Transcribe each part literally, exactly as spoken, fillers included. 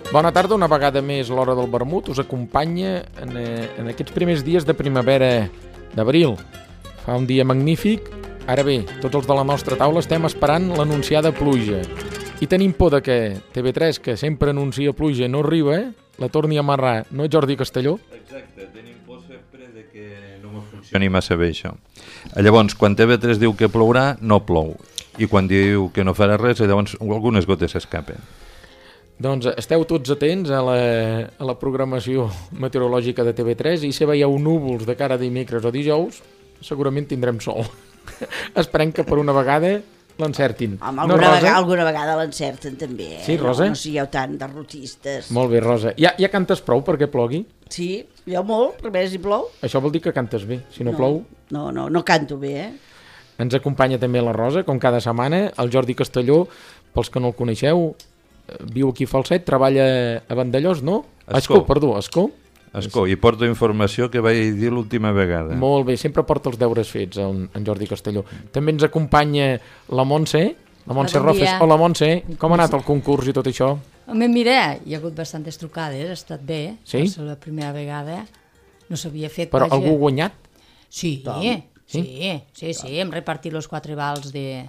Bona tarda, una vegada més l'Hora del Vermut us acompanya en, eh, en aquests primers dies de primavera d'abril. Fa un dia magnífic. Ara bé, tots els de la nostra taula estem esperant l'anunciada pluja. I tenim por de que T V tres, que sempre anuncia pluja, no arriba, eh? La torni a amarrar. No és Jordi Castelló? Exacte, tenim por sempre de que no ens funcioni massa bé això. Llavors, quan T V tres diu que plourà, no plou. I quan diu que no farà res, llavors algunes gotes s'escapen. Doncs esteu tots atents a la, a la programació meteorològica de T V tres i si veieu núvols de cara a dimecres o dijous, segurament tindrem sol. Esperem que per una vegada l'encertin. Home, alguna, no, vegada, alguna vegada l'encerten també, eh? Sí, Rosa? No, no sigueu tan derrotistes. Molt bé, Rosa. Ja, ja cantes prou perquè plogui? Sí, jo molt, per més si plou. Això vol dir que cantes bé, si no, no plou... No, no, no canto bé, eh? Ens acompanya també la Rosa, com cada setmana, el Jordi Castelló, pels que no el coneixeu, viu aquí a Falset, treballa a Vandellós, no? Escó. Escó, perdó, Escó. Escó, i porto informació que vaig dir l'última vegada. Molt bé, sempre porta els deures fets en, en Jordi Castelló. També ens acompanya la Montse, la Montse bon Rofes. dia. Hola Montse, com ha anat el concurs i tot això? Home, mira, hi ha hagut bastantes trucades, ha estat bé, sí? va ser la primera vegada, no s'havia fet. Però vaja. Algú ha guanyat? Sí, sí, sí, sí, sí, hem repartit els quatre vals de...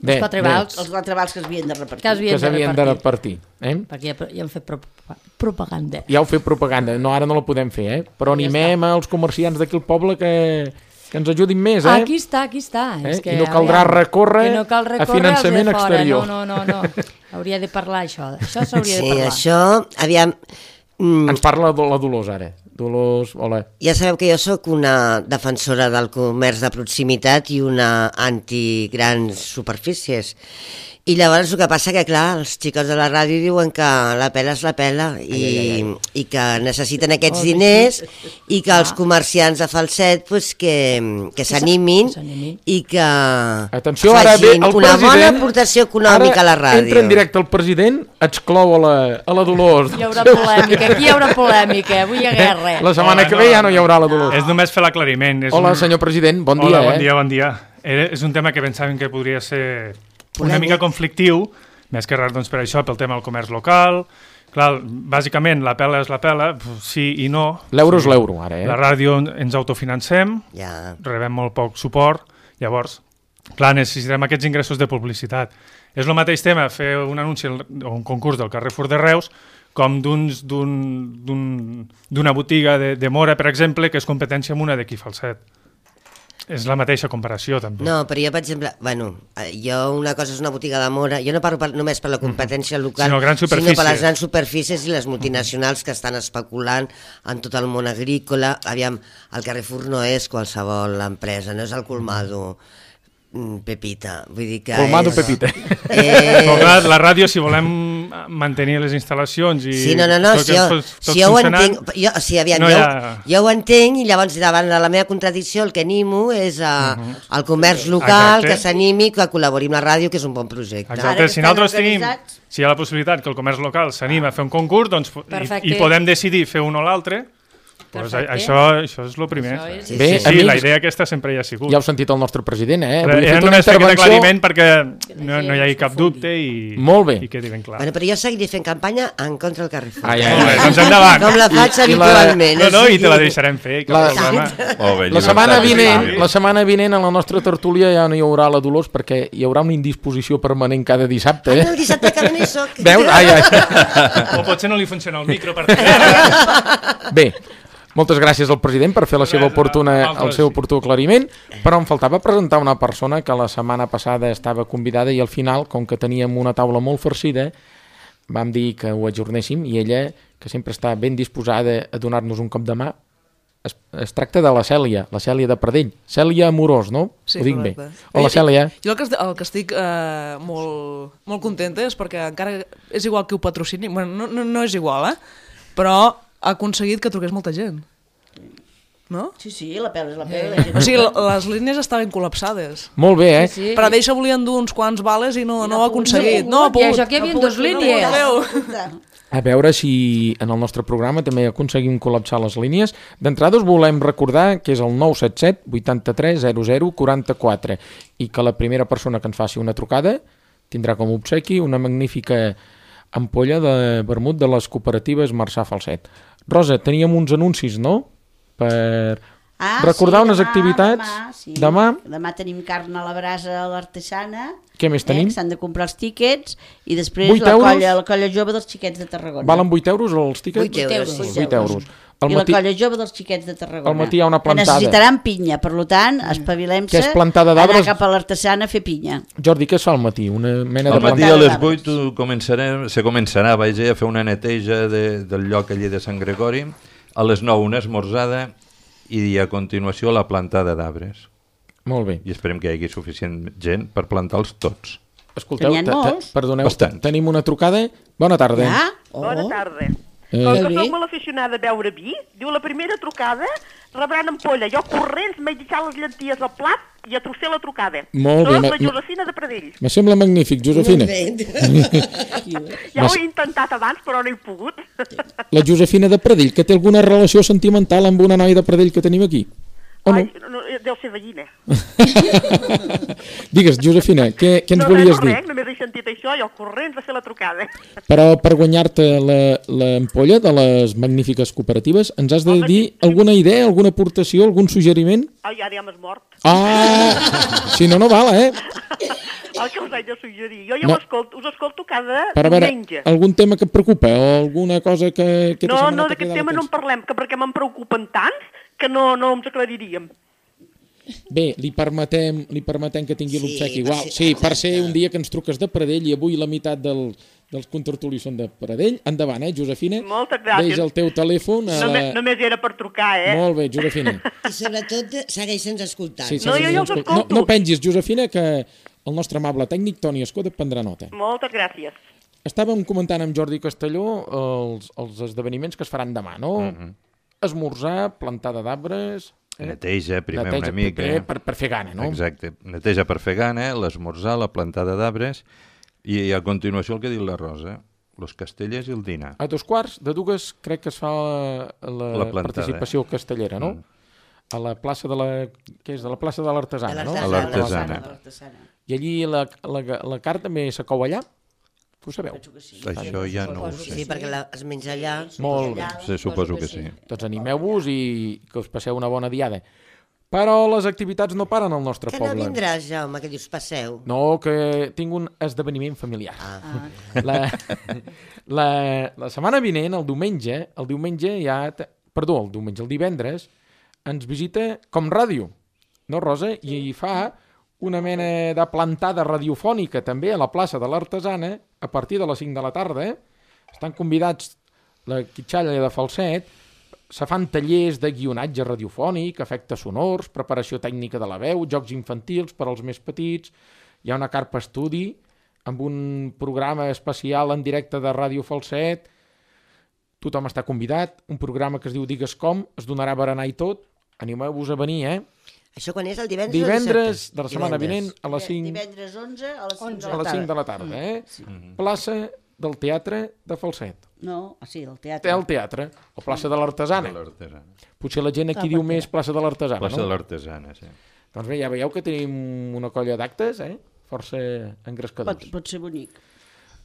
Bé, els quatre bé. vals. Els quatre vals que es havien de repartir. Que s'havien de repartir. Eh? Perquè ja, ja hem fet pro propaganda. Ja heu fet propaganda, no, ara no la podem fer, eh? Però ja animem els comerciants d'aquí al poble que, que ens ajudin més, eh? Aquí està, aquí està. Eh? És que, I no caldrà aviam, recórrer, no cal recórrer a finançament de fora. exterior. No, no, no, no. Hauria de parlar això. Això s'hauria sí, de parlar. Sí, això, aviam... Mm. Ens parla la Dolors ara. Dolors, hola. Ja sabeu que jo sóc una defensora del comerç de proximitat i una anti-grans superfícies. I llavors el que passa que, clar, els xicots de la ràdio diuen que la pela és la pela i, ai, ai, ai. i que necessiten aquests oh, diners i que els comerciants de Falset pues, que, que s'animin i que Atenció, ara ve el una president, bona aportació econòmica a la ràdio. Entra en directe el president, exclou a la, a la Dolors. Hi haurà polèmica, aquí hi haurà polèmica, avui hi ha guerra. La setmana Hola, que ve ja no hi haurà la Dolors. És només fer l'aclariment. Hola, un... senyor president, bon Hola, dia. bon eh? dia, bon dia. Era, és un tema que pensàvem que podria ser una mica conflictiu, més que res doncs, per això, pel tema del comerç local. Clar, bàsicament, la pela és la pela, sí i no. L'euro és l'euro, ara, eh? La ràdio ens autofinancem, ja. rebem molt poc suport, llavors, clar, necessitem aquests ingressos de publicitat. És el mateix tema fer un anunci o un concurs del Carrefour de Reus com d'una botiga de, de Mora, per exemple, que és competència amb una d'aquí Falset. És la mateixa comparació, també. No, però jo, per exemple, bueno, jo una cosa és una botiga de Mora, jo no parlo per, només per la competència local, sinó, grans sinó per les grans superfícies i les multinacionals que estan especulant en tot el món agrícola. Aviam, el Carrefour no és qualsevol empresa, no és el Colmado Pepita, vull dir que Colmado és... Pepita. Eh... Però clar, la ràdio, si volem mantenir les instal·lacions i... Sí, no, no, no, tot, si jo, tot, tot si jo ho entenc, jo, sí, aviam, no jo, ha... jo ho entenc i llavors davant de la meva contradicció el que animo és a, uh -huh. al comerç local, exacte, que s'animi, que col·labori amb la ràdio, que és un bon projecte. Exacte, si nosaltres tenim, si hi ha la possibilitat que el comerç local s'anima a fer un concurs, doncs i, i podem decidir fer un o l'altre, pues això, això és el primer. És... Bé, sí, sí, amics, la idea aquesta sempre hi ha sigut. Ja heu sentit el nostre president, eh? Però era només fer aquest aclariment perquè no, no hi hagi cap dubte i, Molt bé. i quedi ben clar. Bueno, però jo seguiré fent campanya en contra del Carrefour. Ai, ai, Molt bé, doncs endavant. Com la faig I, habitualment. I la... No, no, i te la deixarem fer. La, oh, bé, la, setmana vinent, la setmana vinent a la nostra tertúlia ja no hi haurà la Dolors perquè hi haurà una indisposició permanent cada dissabte. Eh? Ah, no, el dissabte que no hi soc. Veus? Ai, ai. O potser no li funciona el micro per Bé, moltes gràcies al president per fer la seva oportuna, el seu oportú aclariment, però em faltava presentar una persona que la setmana passada estava convidada i al final, com que teníem una taula molt farcida, vam dir que ho ajornéssim i ella, que sempre està ben disposada a donar-nos un cop de mà, es, es tracta de la Cèlia, la Cèlia de Pradell. Cèlia Amorós, no? Sí, ho dic correcte. Bé. Hola, Cèlia. Jo el que, el que estic eh, molt, molt contenta és perquè encara és igual que ho patrocini, bueno, no, no, no és igual, eh? Però ha aconseguit que truqués molta gent. No? Sí, sí, la pela és la pela. Eh. O sigui, les línies estaven col·lapsades. Molt bé, eh? Sí, sí. Per a deixa volien dur uns quants vales i no, I no, no ho ha aconseguit. No, no, I això que hi havia dues línies. A veure si en el nostre programa també aconseguim col·lapsar les línies. D'entrada us volem recordar que és el nou set set vuitanta-tres zero zero quaranta-quatre i que la primera persona que ens faci una trucada tindrà com a obsequi una magnífica ampolla de vermut de les cooperatives Marçà Falset. Rosa, teníem uns anuncis, no? Per Ah, recordar sí, unes demà, activitats. Demà, sí. Demà. Demà tenim carn a la brasa a l'artesana. Què més tenim? Eh, que s'han de comprar els tíquets. I després vuit la euros? colla, la colla jove dels xiquets de Tarragona. Valen vuit euros els tíquets? vuit euros, sí. vuit euros. Al I matí, la colla jove dels xiquets de Tarragona. al matí hi ha una Que plantada. necessitaran pinya, per tant, espavilem-se Que és plantada d'arbres? anar cap a l'artesana a fer pinya. Jordi, què es fa al matí? Una mena Al de matí plantada? a les vuit començarem, se començarà vaja, a fer una neteja de, del lloc allí de Sant Gregori, a les nou una esmorzada i a continuació la plantada d'arbres. Molt bé. I esperem que hi hagi suficient gent per plantar-los tots. Escolteu, Que n'hi ha te- te- molts. perdoneu, Bastants. tenim una trucada. Bona tarda. Ja? Oh. Bona tarda. Eh, Com que bé. soc molt aficionada a beure vi, diu la primera trucada, rebran ampolla. Jo corrents m'he deixat les llenties al plat i a trosser la trucada. Molt bé, Soc ma- la Josefina de Pradell. me sembla magnífic, Josefina. Ja ho he intentat abans, però no he pogut. La Josefina de Pradell, que té alguna relació sentimental amb una noia de Pradell que tenim aquí? O no? Ai, no, deu ser veïna. Digues, Josefina, què, què ens no, volies no, dir? res, només he sentit això, jo corrents a fer la trucada. Però per guanyar-te la- l'ampolla de les magnífiques cooperatives, ens has de Home, dir sí. alguna idea, alguna aportació, algun suggeriment? Ai, ara ja m'has mort. Ah, si no, no val, eh? El que us haig de suggerir. Jo ja No. no. escolto, us escolto cada Per a veure, diumenge. algun tema que et preocupa o alguna cosa que... que No, no, d'aquest tema no en parlem, que perquè me'n preocupen tants que no, no ens aclariríem. Bé, li permetem, li permetem que tingui Sí, l'obsequi. per Igual, ser- sí, per exacte. ser un dia que ens truques de Pradell i avui la meitat del, dels contertulis són de Pradell. Endavant, eh, Josefina? Moltes gràcies. Deix el teu telèfon a la... Només, només era per trucar, eh? Molt bé, Josefina. I sobretot segueixen escoltant. Sí, No, sí, jo sí, ja els sí. escolto. No, no pengis, Josefina, que el nostre amable tècnic, Toni Escoda, prendrà nota. Moltes gràcies. Estàvem comentant amb Jordi Castelló els, els esdeveniments que es faran demà, no? Mm -hmm. Esmorzar, plantada d'arbres... Eh? Neteja primer Neteja una mica. primer per, per fer gana, no? Exacte. Neteja per fer gana, l'esmorzar, la plantada d'arbres i a continuació el que diu la Rosa, los castellers i el dinar. A dos quarts de dues crec que es fa la, la, La plantada, participació castellera, no? Mm. A la plaça de la... Què és? De la plaça de l'Artesana, no? A l'Artesana. De l'artesana. I allí la, la, la carn també se cou allà? Ho sabeu? Això ja no ho Sí, sé. perquè la, es menja allà. Molt bé. Sí, suposo que sí. Doncs animeu-vos i que us passeu una bona diada. Però les activitats no paren al nostre Que no poble. vindràs, Jaume, que dius passeu. No, que tinc un esdeveniment familiar. Ah. La, la, la setmana vinent, el diumenge, el diumenge ja... te- Perdó, el diumenge, el divendres, ens visita Com Ràdio, no, Rosa? I hi fa una mena de plantada radiofònica també a la plaça de l'Artesana a partir de les cinc de la tarda. Estan convidats la Quitxalla de Falset, se fan tallers de guionatge radiofònic, efectes sonors, preparació tècnica de la veu, jocs infantils per als més petits, hi ha una carpa estudi amb un programa especial en directe de Ràdio Falset, tothom està convidat, un programa que es diu Digues Com, es donarà berenar i tot, animeu-vos a venir, eh? Això quan és el divendres Divendres o dissabte? de la setmana vinent a les cinc, Divendres onze a les cinc de a la les cinc de tarda. la tarda, eh? Plaça del Teatre de Falset. No, ah, sí, el Té teatre. el teatre, o plaça de l'Artesana. De l'Artesana. Potser la gent aquí diu més plaça de l'Artesana, Plaça de no? l'Artesana, sí. Doncs bé, ja veieu que tenim una colla d'actes, eh? Força Pot, engrescadors. pot ser bonic,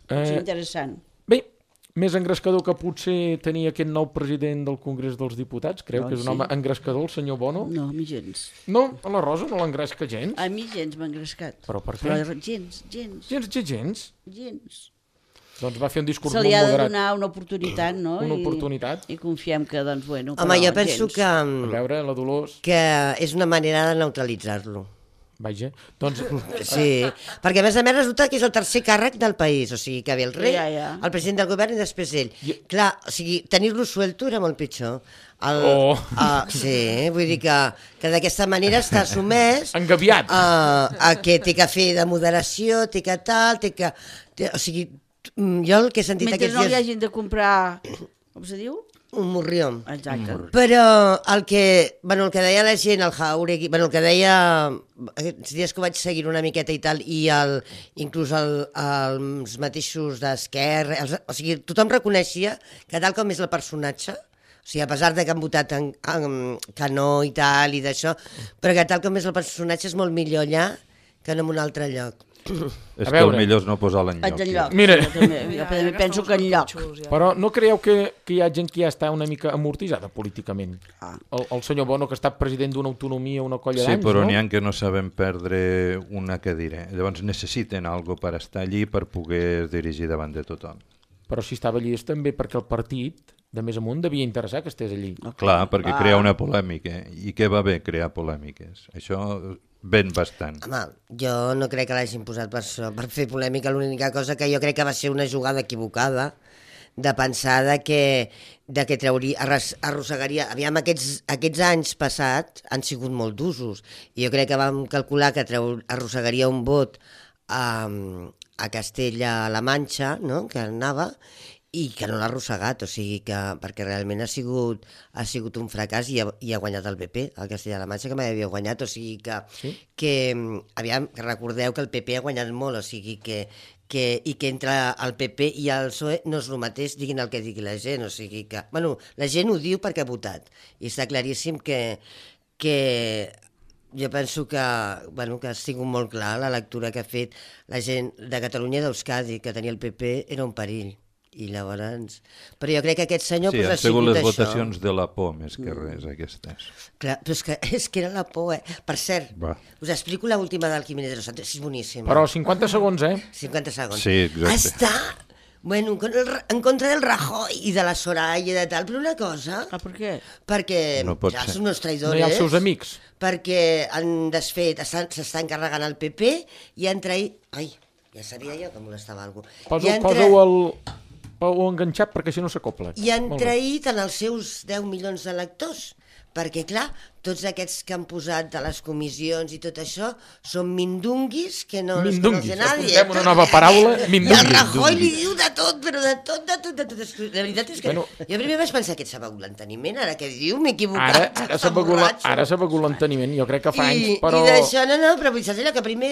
pot ser Eh, interessant. bé, més engrescador que potser tenir aquest nou president del Congrés dels Diputats, creu No, que és un sí. home engrescador, el senyor Bono? No, a mi gens. No, a la Rosa no l'engresca gens. A mi gens m'ha engrescat. Però per què? Però gens, gens, Gens, gens, gens. gens. Doncs va fer un discurs Se li molt ha de moderat. donar una oportunitat, no? Una I- oportunitat. I confiem que, doncs, bueno, Home, però jo penso gens. que, A veure, la Dolors... que és una manera de neutralitzar-lo. Vaja, doncs... Sí, perquè a més a més resulta que és el tercer càrrec del país, o sigui que ve el rei, Ja, ja. el president del govern i després ell. I- Clar, o sigui, tenir-lo suelto era molt pitjor. El, Oh. uh, sí, vull dir que, que d'aquesta manera està sumès Engaviat. a, a que té que fer de moderació, té que tal, té que... Té, o sigui, mm, jo el que he sentit Mentre aquests no li dies... hagin de comprar, com se diu? Un morrió. Exacte. Però el que, bueno, el que deia la gent, el Jauregui, bueno, el que deia aquests dies que ho vaig seguir una miqueta i tal, i el, inclús el, els mateixos d'Esquerra, els- o sigui, tothom reconeixia que tal com és el personatge, o sigui, a pesar de que han votat en, en, que no i tal i d'això, però que tal com és el personatge és molt millor allà que no en un altre lloc. És que el millor és no posar l'enlloc. Enlloc. Mira. Jo també, jo també penso que enlloc. Però no creieu que, que hi ha gent que ja està una mica amortitzada políticament? Ah. El, el senyor Bono, que ha estat president d'una autonomia una colla Sí, d'anys, però no? n'hi ha que no saben perdre una cadira. Llavors necessiten algo per estar allí per poder dirigir davant de tothom. Però si estava allí és també perquè el partit de més amunt devia interessar que estés allí. Clar, perquè crea una polèmica. I què va bé crear polèmiques? Això ven bastant. Home, jo no crec que l'hagin posat per això, per fer polèmica. L'única cosa que jo crec que va ser una jugada equivocada de pensar de que, de que trauria, arras, arrossegaria... Aviam, aquests, aquests anys passats han sigut molt d'usos i jo crec que vam calcular que treu, arrossegaria un vot a, a Castella-La Manxa, no?, que anava, i que no l'ha arrossegat, o sigui que, perquè realment ha sigut, ha sigut un fracàs i ha, i ha guanyat el P P, el Castella-La Manxa, que mai havia guanyat, o sigui que, sí? que aviam, que recordeu que el P P ha guanyat molt, o sigui que, que, i que entre el P P i el P S O E no és el mateix, diguin el que digui la gent, o sigui que, bueno, la gent ho diu perquè ha votat, i està claríssim que, que jo penso que, bueno, que ha sigut molt clar la lectura que ha fet la gent de Catalunya i d'Euskadi, que tenia el P P era un perill. I llavors... Però jo crec que aquest senyor sí, pues, han ha sigut sigut les això. votacions de la por més que res, aquestes. Clar, però és que, és que era la por, eh? Per cert, Va. us explico l'última del Jiménez de los Santos, és boníssima. Però cinquanta segons, eh? cinquanta segons. Sí, exacte. Està, bueno, en contra, en contra del Rajoy i de la Soraya i de tal, però una cosa... Ah, per què? Perquè No pot ja ser. són uns traïdors, No hi ha els seus amics. perquè han desfet, s'estan carregant el P P i han traït... Ai, ja sabia jo que molestava algú. Posa, posa-ho al... o enganxat perquè si no s'acopla. I han Molt bé. traït en els seus deu milions d'electors, perquè, clar, tots aquests que han posat de les comissions i tot això són mindunguis que no els Mindunguis, conoce nadie. apuntem una nova paraula, I el mindunguis. Rajoy li diu de tot, però de tot, de tot, de tot. La veritat és que Bueno. jo primer vaig pensar que ets begut l'enteniment, ara què diu, m'he equivocat. Ara, ara està s'ha begut la- borratxo. ara s'ha begut l'enteniment, jo crec que fa I, anys, però I d'això, no, no, però saps allò que primer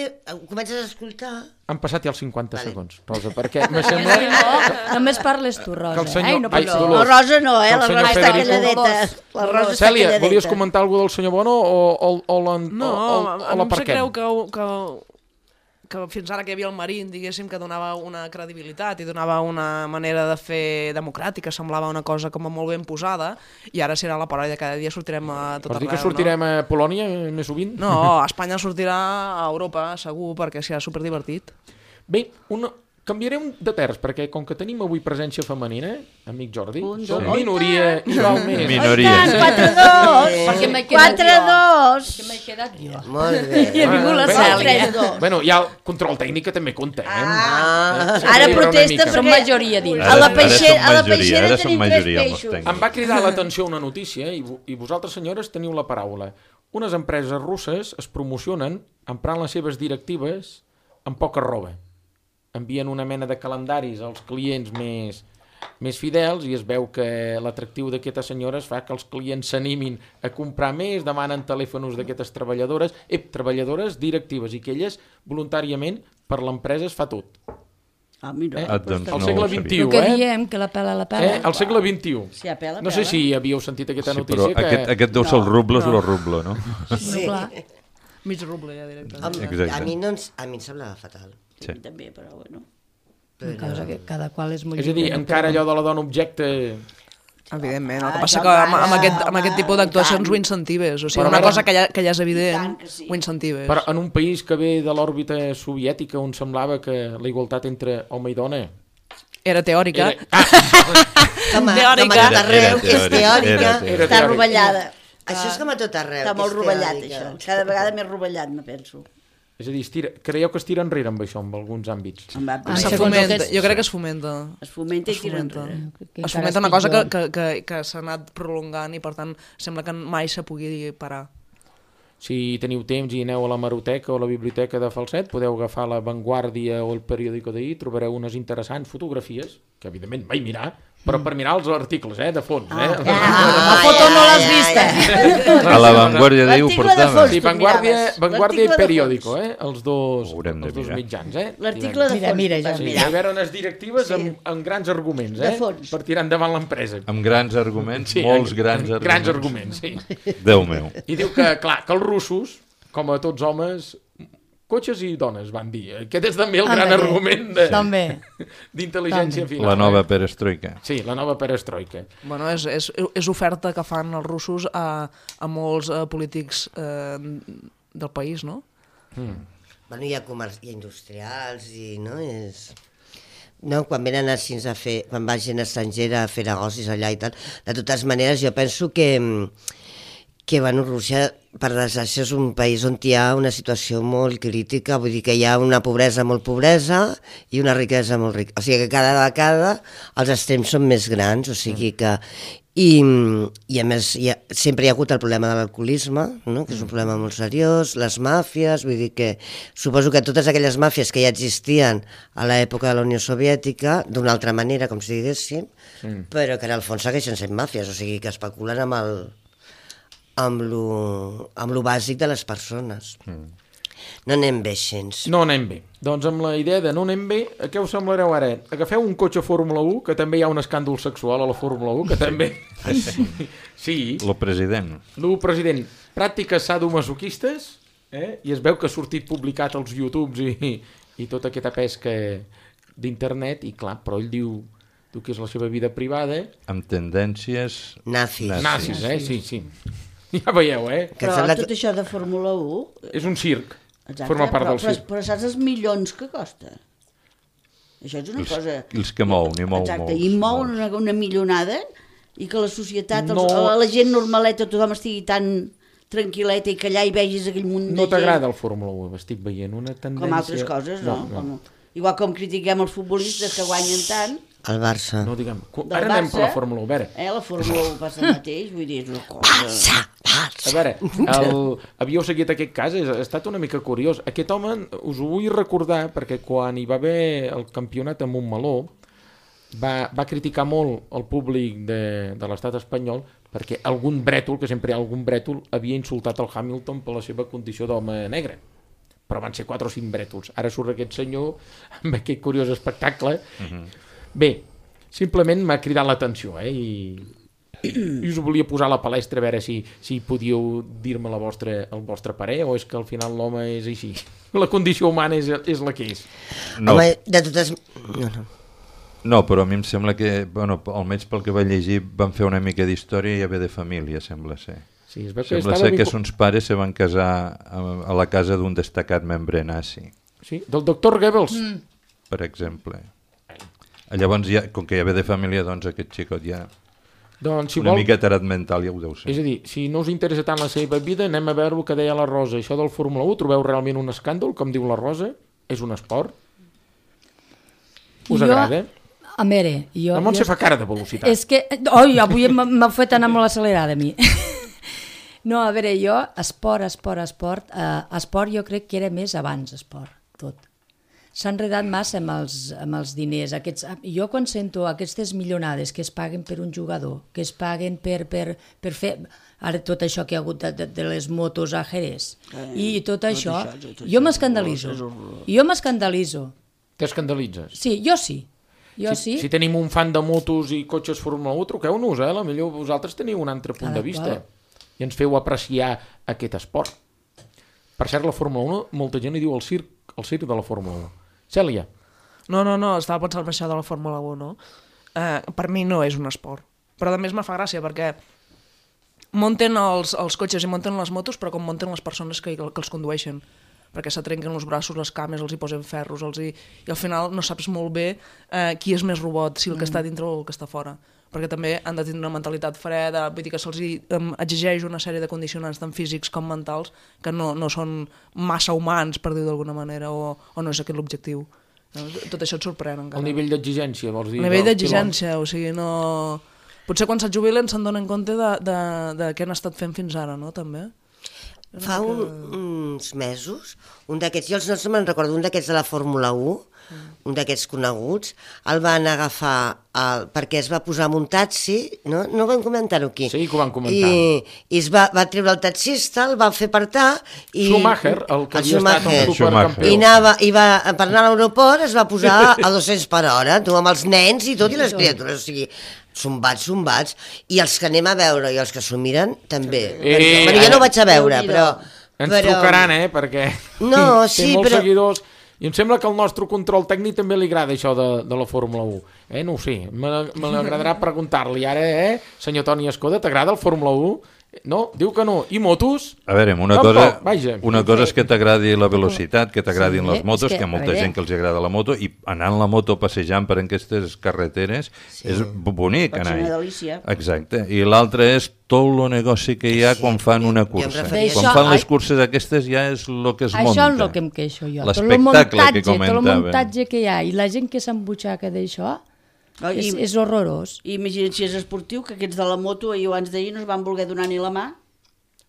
comences a escoltar... han passat ja els cinquanta Vale. segons, Rosa, perquè me sembla No, només parles tu, que Rosa. el senyor... Eh? I no Ai, parlo. Dolors, La Rosa no, eh? que el La senyor Rosa està Federico- calladeta. La Rosa està Cèlia, calladeta. volies comentar alguna del senyor Bono o, o, o, l'en- No, o, o, a, o a mi em sap l'aparquem? greu que, que, que fins ara que hi havia el Marín, diguéssim, que donava una credibilitat i donava una manera de fer democràtica, semblava una cosa com a molt ben posada, i ara serà la paròdia, cada dia sortirem a tot Vols dir arreu. que sortirem a Polònia més sovint? No, no, a Espanya sortirà a Europa, segur, perquè serà superdivertit. Bé, una... canviarem de terç, perquè com que tenim avui presència femenina, amic Jordi, Un, som dos, minoria i val més. Minoria. Oh, i tant, quatre dos! Perquè m'he quedat quatre jo. dos! Que m'he quedat jo. Molt bé. I ha vingut la Bé, Cèlia. bueno, tres dos. Bueno, ja el control tècnic que també comptem. Ah, Eh, Ara sempre hi haurà una protesta mica. Som perquè majoria dins. a la Ara- ara peixera, som a la majoria, peixera ara som tenim tres majoria amb els peixos. tècnics. Em va cridar l'atenció una notícia i, vo- i vosaltres, senyores, teniu la paraula. Unes empreses russes es promocionen emprant les seves directives amb poca roba. Envien una mena de calendaris als clients més, més fidels i es veu que l'atractiu d'aquestes senyores fa que els clients s'animin a comprar més, demanen telèfons d'aquestes treballadores, eh, treballadores directives, i que elles voluntàriament per l'empresa es fa tot. Ah, mira. Eh? Ah, doncs Al no segle ho sabia. vint-i-u, El que eh? diem, que la pela, la pela. Eh? Al segle vint-i-u. Si apela, No sé apela. si havíeu sentit aquesta Sí, notícia. però que... aquest, aquest deu ser el ruble, és el ruble, no? No, clar. Mig ruble, ja, directament. Home, Exacte. a mi, no ens, a mi em semblava fatal. Sí. També, però bueno. Una cosa que cada qual és molt És a dir, lliure, encara però- allò de la dona objecte... Evidentment, el que Ah, passa ja que amb, amb, va, aquest, amb va, aquest tipus i d'actuacions tant. ho incentives, o sigui, Però una ara- cosa que ja, que ja és I evident, tant que sí. ho incentives. Però en un país que ve de l'òrbita soviètica on semblava que la igualtat entre home i dona... Era teòrica. Era... Ah, Com a, Teòrica. com a tot Era- arreu, era és teòrica, teòrica. era teòrica. Era Està teòrica. rovellada. Això és com a tot arreu. Està que molt és rovellat, teòrica. això. Cada vegada més rovellat, me penso. és a dir, es tira... creieu que es tira enrere amb això, en alguns àmbits? Em va, Ah, Se segons fomenta, el que és- jo crec que es fomenta. es fomenta i Es tira fomenta. enrere. que Es encara fomenta una és cosa que, pitjor. que, que, que s'ha anat prolongant i per tant sembla que mai se pugui parar. Si teniu temps i aneu a la Maroteca o a la Biblioteca de Falset, podeu agafar la Vanguardia o el periòdico d'ahir, trobareu unes interessants fotografies, que evidentment vaig mirar, però per mirar els articles, eh, de fons. Eh? La foto no l'has vista. A la Vanguardia d'ahir ho L'article de portava. fons. Sí, tu Vanguardia, miraves. Vanguardia i L'article de periòdico, eh? Els dos, Ho haurem de els dos mirar. mitjans, eh? L'article de Mira, fons. mira, tu vas ja. Sí, mirar. hi veure unes directives amb, amb grans arguments, De eh? fons. Per tirar endavant l'empresa. Amb grans arguments, molts amb- grans amb arguments. Grans arguments, sí. Déu meu. I diu que, clar, que els russos, com a tots homes, Cotxes i dones, van dir. Aquest és també el gran argument d'intel·ligència final. La nova perestroika. Sí, la nova perestroika. Bueno, és, és, és oferta que fan els russos a, a molts eh, polítics eh, del país, no? Mm. Bueno, hi ha, comerç, hi ha industrials i, no, és... No, quan venen així a fer, quan va gent estrangera a fer negocis allà i tal, de totes maneres jo penso que que, bueno, Rússia, per desgràcia, és un país on hi ha una situació molt crítica, vull dir que hi ha una pobresa molt pobresa i una riquesa molt rica. O sigui que cada vegada els extrems són més grans, o sigui que... I, i a més, hi ha, sempre hi ha hagut el problema de l'alcoholisme, no? Que és un problema molt seriós, les màfies, vull dir que suposo que totes aquelles màfies que ja existien a l'època de la Unió Soviètica, d'una altra manera, com si diguéssim, mm. però que en el fons segueixen sent màfies, o sigui que especulen amb el... amb lo, amb lo bàsic de les persones. Mm. No anem bé, gens. No anem bé. Doncs amb la idea de no anem bé, a què us semblareu ara? Agafeu un cotxe Fórmula u, que també hi ha un escàndol sexual a la Fórmula u, que també... sí. Lo president. Lo president. Pràctiques sadomasoquistes, eh? I es veu que ha sortit publicat als YouTubes i, i tota aquesta pesca d'internet, i clar, però ell diu, diu que és la seva vida privada. Amb tendències... Nazis. Nazis, eh? Sí, sí. Ja veieu, eh? Però tot això de Fórmula u... És un circ. Exacte, forma part però, del circ. Però, però saps els milions que costa? Això és una els, cosa... Els que mou, n'hi mou Exacte, molts. i mou molts. una, una millonada i que la societat, no... els, la gent normaleta, tothom estigui tan tranquil·leta i que allà hi vegis aquell munt de gent... No t'agrada el Fórmula u? Estic veient una tendència... Com altres coses, no? no, no. Com, igual com critiquem els futbolistes que guanyen tant... El Barça. No, diguem, ara anem per la Fórmula u, a veure. Eh, la Fórmula u passa el mateix, vull dir, és una cosa... Barça, Barça. A veure, el... havíeu seguit aquest cas, ha estat una mica curiós. Aquest home, us ho vull recordar, perquè quan hi va haver el campionat a Montmeló, va, va criticar molt el públic de, de l'estat espanyol perquè algun brètol, que sempre hi ha algun brètol, havia insultat el Hamilton per la seva condició d'home negre. Però van ser quatre o cinc brètols. Ara surt aquest senyor amb aquest curiós espectacle. Uh-huh. Bé, simplement m'ha cridat l'atenció, eh? I, i us volia posar a la palestra a veure si, si podíeu dir-me la vostra, el vostre parer, o és que al final l'home és així. La condició humana és, és la que és. No. Home, de totes... No, no. No, però a mi em sembla que, bueno, almenys pel que vaig llegir, van fer una mica d'història i haver de família, sembla ser. Sí, es veu que sembla ser que uns pares se van casar a, a la casa d'un destacat membre nazi. Sí, del doctor Goebbels. Mm. Per exemple. Llavors, ja, com que hi ha de família, doncs aquest xicot ja... Doncs, si una vol... mica tarat mental ja ho deu ser. És a dir, si no us interessa tant la seva vida, anem a veure el que deia la Rosa. Això del Fórmula u, trobeu realment un escàndol, com diu la Rosa? És un esport? Us jo... agrada? A veure, jo... La Montse jo... fa cara de velocitat. És que... Oi, avui m'ha fet anar molt accelerada a mi. No, a veure, jo, esport, esport, esport... Eh, esport jo crec que era més abans, esport, tot. S'ha enredat massa amb els, amb els diners. Aquests, jo quan sento aquestes milionades que es paguen per un jugador, que es paguen per, per, per fer... Ara tot això que hi ha hagut de, de, de les motos a Jerez, eh, i tot, tot això, això tot jo m'escandalitzo. Jo m'escandalitzo. T'escandalitzes? Sí, jo sí. Jo si, sí. Si tenim un fan de motos i cotxes Fórmula u, truqueu-nos, eh? A millor vosaltres teniu un altre punt Cada de vista. qual. I ens feu apreciar aquest esport. Per cert, la Fórmula u, molta gent hi diu el circ, el circ de la Fórmula u. Cèlia. No, no, no, estava pensant en això de la Fórmula u, no? Eh, per mi no és un esport. Però a més me fa gràcia perquè munten els, els cotxes i munten les motos, però com munten les persones que, que els condueixen. Perquè se trenquen els braços, les cames, els hi posen ferros, els hi... i al final no saps molt bé eh, qui és més robot, si el que mm. està dintre o el que està fora. Perquè també han de tenir una mentalitat freda, vull dir que se'ls um, exigeix una sèrie de condicionants tant físics com mentals que no, no són massa humans, per dir d'alguna manera, o, o no és aquest l'objectiu. Tot això et sorprèn encara. El nivell d'exigència, vols dir? El nivell d'exigència, o sigui, no... Potser quan se't jubilen se'n donen compte de, de, de què han estat fent fins ara, no?, també. Fa un, uns mesos, un d'aquests, jo els noms no me'n recordo, un d'aquests de la Fórmula u, mm. un d'aquests coneguts, el van agafar el, perquè es va posar amb un taxi, no, no vam comentar-ho aquí. Sí, que ho van comentar. I, i es va, va treure el taxista, el va fer apartar... I, Schumacher, el que el havia estat un supercampió. I, anava, i va, per anar a l'aeroport es va posar a dos-cents per hora, tu, amb els nens i tot, i les criatures, o sigui... Zumbats, zumbats, i els que anem a veure i els que s'ho miren també. Eh, bueno, jo no ho vaig a veure, però, Ens però... trucaran, eh, perquè no, té sí, molts però... seguidors i em sembla que al nostre control tècnic també li agrada això de, de la Fórmula u. Eh, no ho sé, m'agradarà preguntar-li ara, eh, senyor Toni Escoda, t'agrada el Fórmula u? No, diu que no. I motos? A veure, una Tampoc, cosa, vaja. una cosa és que t'agradi la velocitat, que t'agradin Sí, les motos, és que, que hi ha molta a veure. gent que els agrada la moto, i anar en la moto passejant per aquestes carreteres Sí. és bonic, Pot ser anar-hi. una delícia. Exacte. I l'altre és tot el negoci que hi ha Sí, quan fan jo- una jo em cursa. referia- Quan Això, fan les ai- curses aquestes ja és el que es Això munta. és el que em queixo jo. Tot el L'espectacle muntatge, que tot el comentaven. muntatge que hi ha i la gent que s'embutxaca d'això No, i- és, és horrorós. I imagina't si és esportiu, que aquests de la moto ahir abans d'ahir no es van voler donar ni la mà.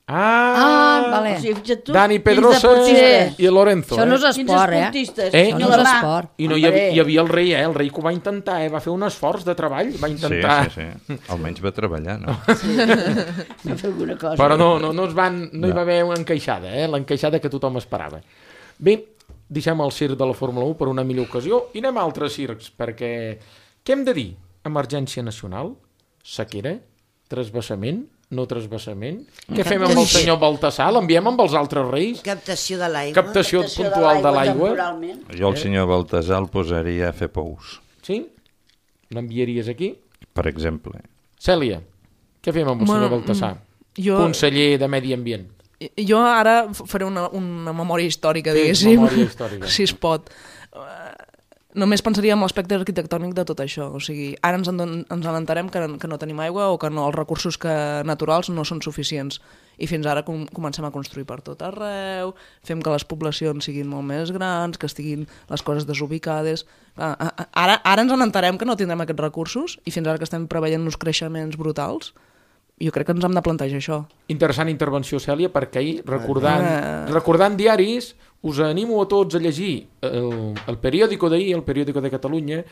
Ah, Ah, vale. O sigui, fixa't tu, Dani quins Pedrosa deportistes. i el Lorenzo. Això no eh? és Quins esport, eh? esportistes. Eh? Ni No la és mà. esport. I no hi havia, Hombre. hi havia el rei, eh? El rei que ho va intentar, eh? Va fer un esforç de treball, va Sí, intentar... sí, sí. Almenys va treballar, no? Va fer alguna cosa. Però no, no, no, es van, no, No. hi va haver una encaixada, eh? L'encaixada que tothom esperava. Bé, deixem el circ de la Fórmula u per una millor ocasió i anem a altres circs, perquè què hem de dir? Emergència nacional? Sequera? Trasbassament? No trasbassament? Què fem amb el senyor Baltasar? L'enviem amb els altres reis? Captació de l'aigua. Captació puntual de l'aigua? temporalment. Jo el senyor Baltasar el posaria a fer pous, Sí? L'enviaries aquí? per exemple. Cèlia, què fem amb el senyor Bueno, Baltasar? jo- Conseller de Medi Ambient. Jo ara faré una, una memòria històrica, Fes diguéssim, memòria històrica. si es pot. Uh, només pensaria en l'aspecte arquitectònic de tot això. O sigui, ara ens, en, ens entenem que, que no tenim aigua o que no, els recursos que, naturals no són suficients. I fins ara com, comencem a construir per tot arreu, fem que les poblacions siguin molt més grans, que estiguin les coses desubicades. Ah, ah, Ara, ara ens entenem que no tindrem aquests recursos i fins ara que estem preveient uns creixements brutals, jo crec que ens hem de plantejar això. Interessant intervenció, Cèlia, perquè ahir, recordant, Ah. recordant diaris, us animo a tots a llegir el, el periòdico d'ahir, el periòdico de Catalunya,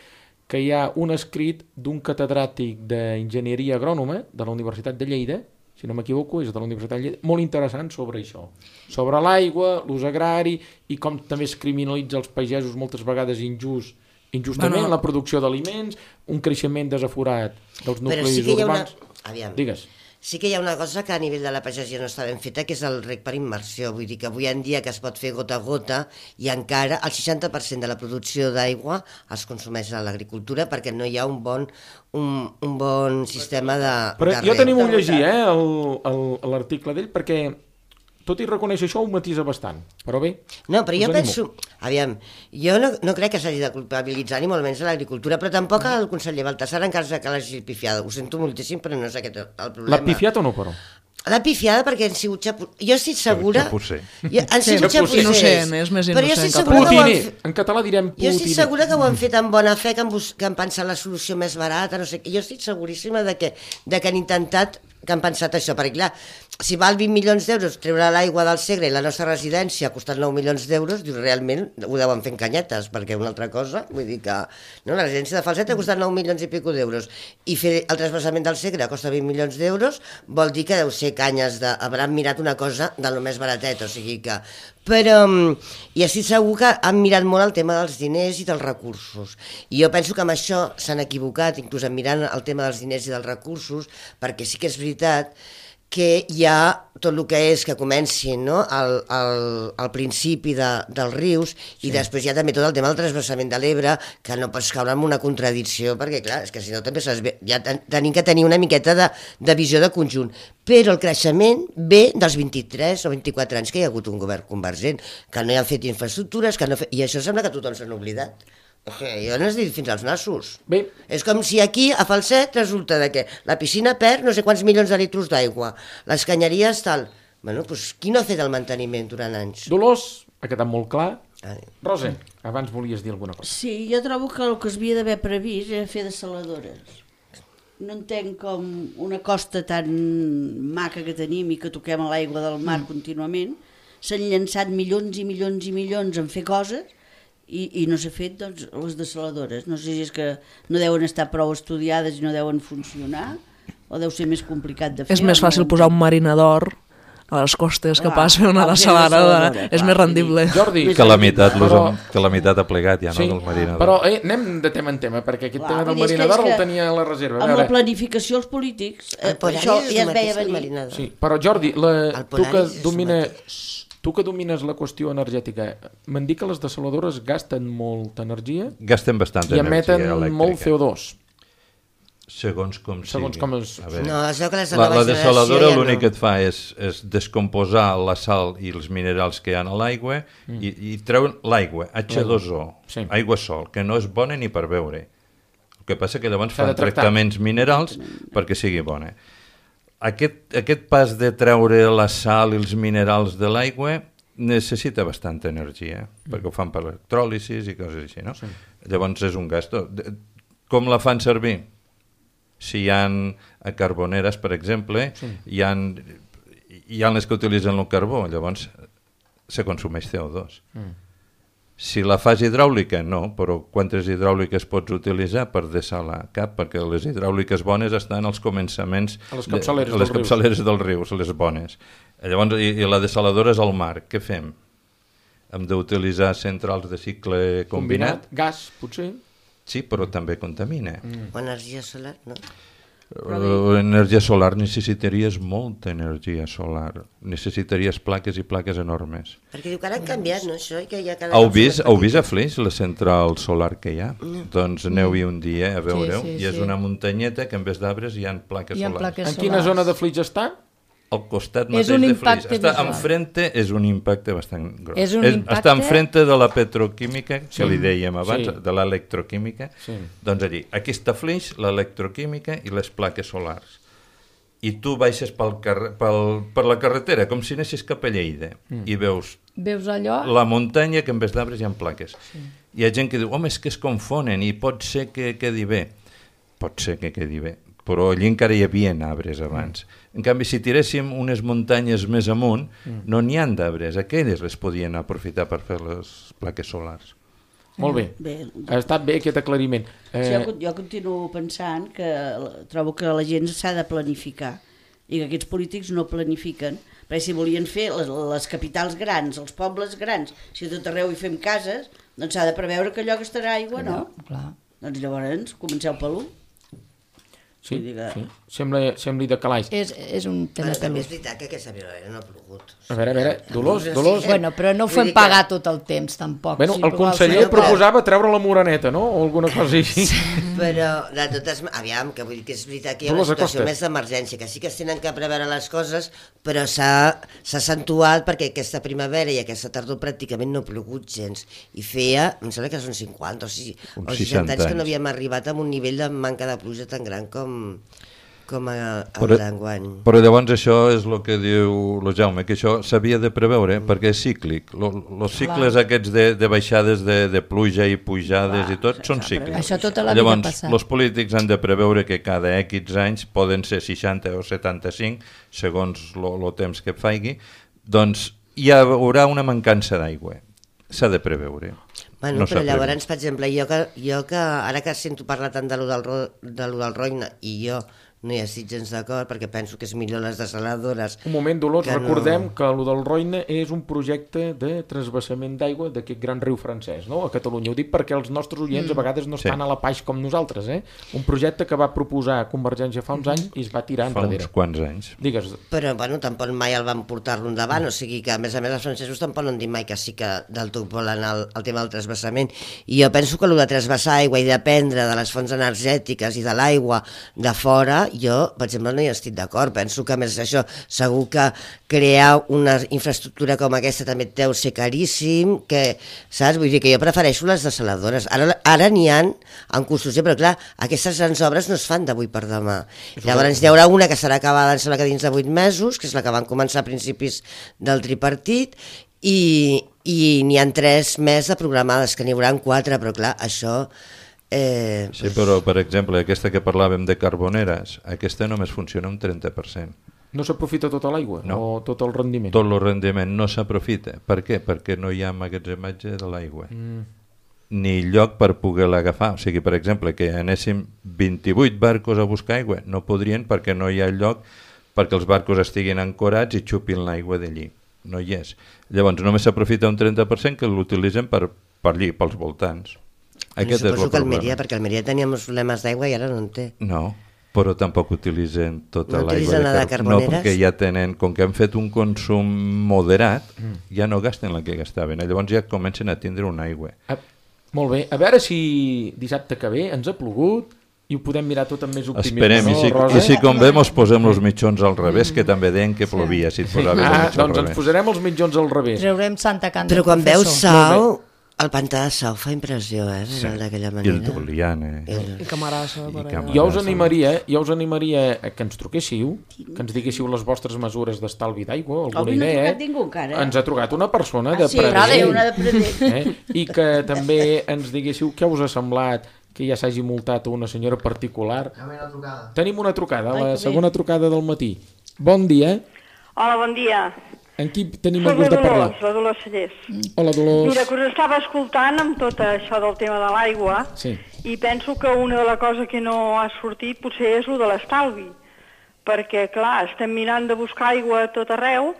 que hi ha un escrit d'un catedràtic d'enginyeria agrònoma de la Universitat de Lleida, si no m'equivoco, és de la Universitat de Lleida, molt interessant sobre això, sobre l'aigua, l'ús agrari i com també es criminalitza els pagesos moltes vegades injust, injustament, Bueno. la producció d'aliments, un creixement desaforat dels Però nuclis sí que hi ha una... urbans. Aviam. Digues. Sí que hi ha una cosa que a nivell de la pagesia no està ben feta, que és el rec per immersió. Vull dir que avui en dia que es pot fer gota a gota i encara el seixanta per cent de la producció d'aigua es consumeix a l'agricultura perquè no hi ha un bon, un, un bon sistema de, Però de jo reg. tenim un llegir, eh, el- el- l'article d'ell, perquè tot i reconèixer això ho matisa bastant, però bé. No, però jo us animo. penso... Aviam, jo no, no crec que s'hagi de culpabilitzar ni molt menys a l'agricultura, però tampoc el conseller Baltasar encara que l'hagi pifiada. Ho sento moltíssim, però no és aquest el problema. L'ha pifiat o no, però? L'ha pifiada perquè han sigut xapu... Jo estic segura... Xapusser. Jo, han Sí, sigut xapusser. xapussers. Innocent, és més Però jo innocent estic que segura que ho han Putiner, fet... en català direm Jo estic putiner. segura que ho han fet amb bona fe, que han, bus... que han pensat la solució més barata, no sé què. Jo estic seguríssima de que, de que han intentat, que han pensat això, perquè clar, si val vint milions d'euros treure l'aigua del Segre i la nostra residència ha costat nou milions d'euros, dius, realment ho deuen fer en canyetes, perquè una altra cosa, vull dir que no, la residència de Falset ha costat nou milions i pico d'euros, i fer el trasbassament del Segre costa vint milions d'euros, vol dir que deu ser canyes de... Hauran mirat una cosa de lo més baratet, o sigui que... Però, i estic segur que han mirat molt el tema dels diners i dels recursos. I jo penso que amb això s'han equivocat, inclús en mirant el tema dels diners i dels recursos, perquè sí que és veritat que hi ha tot el que és que comenci, no? al, al, al principi de, dels rius i després hi ha també tot el tema del transvasament de l'Ebre, que no pots caure en una contradicció, perquè clar, és que si no també s'has... ja ten, tenim que tenir una miqueta de, de visió de conjunt. Però el creixement ve dels vint-i-tres o vint-i-quatre anys que hi ha hagut un govern convergent, que no hi han fet infraestructures, que no fe... i això sembla que tothom s'han oblidat. Jo no has dit fins als nassos. Bé. És com si aquí, a Falset, resulta de que la piscina perd no sé quants milions de litros d'aigua, les canyeries tal... Bueno, doncs qui no ha fet el manteniment durant anys? Dolors, ha quedat molt clar. Ai. Rosa, abans volies dir alguna cosa. Sí, jo trobo que el que es havia d'haver previst era fer dessaladores. No entenc com una costa tan maca que tenim i que toquem a l'aigua del mar mm. contínuament, s'han llançat milions i milions i milions en fer coses i, i no s'ha fet doncs, les dessaladores. No sé si és que no deuen estar prou estudiades i no deuen funcionar o deu ser més complicat de fer. És més fàcil posar un marinador a les costes que Ah, pas fer una ah, fer dessaladora. dessaladora, És clar, més rendible. Jordi, Que la meitat, Però- que la meitat ha plegat ja, no, sí, del marinador. però eh, anem de tema en tema, perquè aquest Clar, tema del vull dir, és que- marinador és que el tenia a la reserva. A Amb la veure, planificació els polítics, eh, El Polaris això és ja el es veia mateix que el venir. marinador. sí, però Jordi, la, El tu que Polaris és el domina... mateix. Tu que domines la qüestió energètica, m'han dit que les dessaladores gasten molta energia gasten bastanta i energia emeten elèctrica. molt C O dos. Segons com Segons sigui. com es... A veure, No, es veu que les de la, nova la generació dessaladora ja l'únic no. que et fa és, és descomposar la sal i els minerals que hi ha a l'aigua mm. i, i treuen l'aigua, H dos O, Sí. aigua sol, que no és bona ni per beure. El que passa que llavors S'ha de fan tractar. tractaments minerals perquè sigui bona. Aquest, aquest pas de treure la sal i els minerals de l'aigua necessita bastanta energia, mm. perquè ho fan per electròlisis i coses així, no? Sí. Llavors és un gasto. Com la fan servir? Si hi ha a carboneres, per exemple, sí. hi, ha, hi ha les que utilitzen el carbó, llavors se consumeix C O dos. Mm. Si la fas hidràulica, no, però quantes hidràuliques pots utilitzar per dessalar? Cap, perquè les hidràuliques bones estan als començaments, a les capçaleres, de, a les dels, capçaleres rius. dels rius, les bones. Llavors, i, i la dessaladora és al mar. Què fem? Hem d'utilitzar centrals de cicle combinat? Combinat, gas, potser. Sí, però també contamina. Mm. O energia solar, no? Uh, energia solar necessitaries molta energia solar. Necessitaries plaques i plaques enormes. Perquè diu que ara han canviat, no, això? I que hi ha cada Heu cop vist, més heu vist a petites. Flix la central solar que hi ha? Mm. Doncs aneu-hi un dia a veure-ho. Sí, sí, I és sí. una muntanyeta que en vez d'arbres hi ha plaques Hi ha solars. plaques En quina solars. zona de Flix està? Al costat És mateix un de Flix. impacte Està visual. enfrente, és un impacte bastant gros. És un és, impacte- Està enfrente de la petroquímica, que Sí. li dèiem abans, Sí. de l'electroquímica. Sí. Doncs allí, aquí està Flix, l'electroquímica i les plaques solars. I tu baixes pel carrer, pel, per la carretera, com si anessis cap a Lleida, mm. i veus Veus allò? la muntanya que en vez d'arbres hi ha plaques. Sí. Hi ha gent que diu, home, és que es confonen i pot ser que quedi bé. Pot ser que quedi bé, però allí encara hi havia arbres abans. Mm. En canvi, si tiréssim unes muntanyes més amunt, mm. no n'hi ha d'arbres. Aquelles les podien aprofitar per fer les plaques solars. Molt bé. Bé, Ha estat bé aquest aclariment. Eh... Eh, jo, jo continuo pensant que la- trobo que la gent s'ha de planificar i que aquests polítics no planifiquen, perquè si volien fer les, les capitals grans, els pobles grans, si a tot arreu hi fem cases, doncs s'ha de preveure que allò gastarà aigua, no? Clar. Doncs llavors comenceu per l'u. sí, vull dir que- sí. Sembla, sembli de calaix. És, és un tema Però també és pelús. veritat que aquesta primavera no ha plogut. A veure, a veure, Dolors, Dolors... Bueno, però no ho Vull fem dir que- pagar tot el temps, tampoc. Bueno, Sí, el però conseller al final- proposava treure la moreneta, no? O alguna cosa així. Però, de totes maneres, aviam, que vull dir que és veritat que hi ha Dolors una situació Acosta. més d'emergència, que sí que es tenen que preveure les coses, però s'ha s'ha accentuat perquè aquesta primavera i aquesta tardor pràcticament no ha plogut gens. I feia, em sembla que són cinquanta o, si, Uns o seixanta anys que anys. no havíem arribat a un nivell de manca de pluja tan gran com, com a, a Però- d'enguany. Però llavors això és el que diu el Jaume, que això s'havia de preveure perquè és cíclic. Els cicles Clar. aquests de, de baixades de, de pluja i pujades Clar, i tot s'ha- són s'ha cíclics. Això tota la vida Llavors, passat. els polítics han de preveure que cada X anys poden ser seixanta o setanta-cinc, segons el temps que faigui, doncs hi haurà una mancança d'aigua. S'ha de preveure. Bueno, No però s'ha llavors, per exemple, jo que, jo que ara que sento parlar tant de lo del, ro- de lo del Roine i jo no hi estic gens d'acord perquè penso que és millor les dessaladores. Un moment, Dolors, que no- recordem que el del Roine és un projecte de transvasament d'aigua d'aquest gran riu francès, no?, a Catalunya. Ho dic perquè els nostres oients a vegades no Sí. estan a la paix com nosaltres, eh? Un projecte que va proposar Convergència fa uns anys i es va tirar Fa uns enrere. quants anys. Digues, Però, bueno, tampoc mai el van portar-lo endavant, o sigui que, a més a més, els francesos tampoc no han dit mai que sí que del tot volen el, el tema del transvasament. I jo penso que el de transvasar aigua i dependre de les fonts energètiques i de l'aigua de fora, jo, per exemple, no hi estic d'acord. Penso que, a més això, segur que crear una infraestructura com aquesta també deu ser caríssim, que, saps? Vull dir que jo prefereixo les dessaladores. Ara, ara n'hi ha en construcció, però clar, aquestes grans obres no es fan d'avui per demà. Llavors hi haurà una que serà acabada, em sembla que dins de vuit mesos, que és la que van començar a principis del tripartit, i, i n'hi ha tres més de programades, que n'hi haurà quatre, però clar, això... Eh, Sí, però, per exemple, aquesta que parlàvem de carboneres, aquesta només funciona un trenta per cent. no s'aprofita tota l'aigua No. o tot el rendiment? Tot el rendiment no s'aprofita. Per què? Perquè no hi ha emmagatzematge de l'aigua. Mm. Ni lloc per poder-la agafar. O sigui, per exemple, que anéssim vint-i-vuit barcos a buscar aigua, no podrien perquè no hi ha lloc perquè els barcos estiguin ancorats i xupin l'aigua d'allí. No hi és. Llavors només s'aprofita un trenta per cent que l'utilitzen per, per allí, pels voltants. Aquest Aquest és el suposo que problema. Almeria, perquè Almeria teníem uns problemes d'aigua i ara no en té. No. però tampoc utilitzen tota no l'aigua de, de carbó. No, perquè ja tenen, com que han fet un consum moderat, mm. ja no gasten la que gastaven. Llavors ja comencen a tindre una aigua. Ah, molt bé. A veure si dissabte que ve ens ha plogut i ho podem mirar tot amb més optimisme. Esperem, no, i si, Rosa? i si convé mos posem els mitjons al revés, que també deien que plovia si et posaves ah, els mitjons doncs al revés. ens posarem els mitjons al revés. Treurem Santa Canta. Però quan veus Sau, el pantà de Sau fa impressió, eh? Sí. D'aquella manera. I el Doliana. El... I Camarassa. I Camarassa. Jo us animaria, jo us animaria que ens truquéssiu, que ens diguéssiu les vostres mesures d'estalvi d'aigua, alguna Avui idea. No ha trucat ningú encara. Ens ha trucat una persona de ah, sí, Pradell. Una de Pradell. Eh? I que també ens diguéssiu què us ha semblat que ja s'hagi multat una senyora particular. Una trucada. Tenim una trucada, la Ai, segona trucada del matí. Bon dia. Hola, bon dia. En qui tenim el gust de parlar? Soc la Dolors Cellers. Hola, Dolors. Mira, que us estava escoltant amb tot això del tema de l'aigua sí. i penso que una de les coses que no ha sortit potser és el de l'estalvi. Perquè, clar, estem mirant de buscar aigua a tot arreu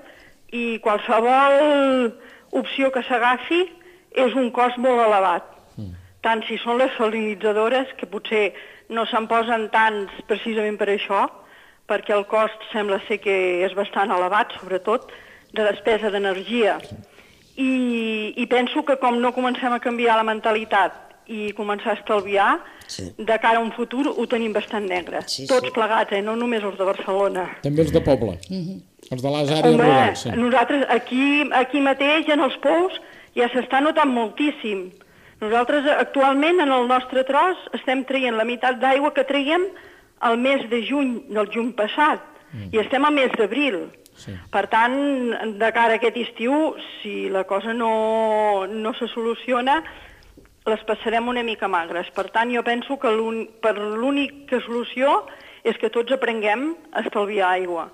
i qualsevol opció que s'agafi és un cost molt elevat. Mm. Tant si són les salinitzadores, que potser no se'n posen tants precisament per això, perquè el cost sembla ser que és bastant elevat, sobretot de despesa d'energia. I, I penso que com no comencem a canviar la mentalitat i començar a estalviar, sí. de cara a un futur ho tenim bastant negre. Sí, Tots sí. plegats, eh? No només els de Barcelona. També els de poble, mm-hmm. els de les àrees Home, rurals. Sí. Nosaltres aquí, aquí mateix, en els pous, ja s'està notant moltíssim. Nosaltres actualment en el nostre tros estem traient la meitat d'aigua que traiem al mes de juny del juny passat mm. i estem al mes d'abril. Sí. Per tant, de cara a aquest estiu, si la cosa no, no se soluciona, les passarem una mica magres. Per tant, jo penso que per l'única solució és que tots aprenguem a estalviar aigua.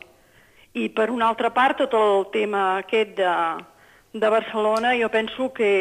I per una altra part, tot el tema aquest de, de Barcelona, jo penso que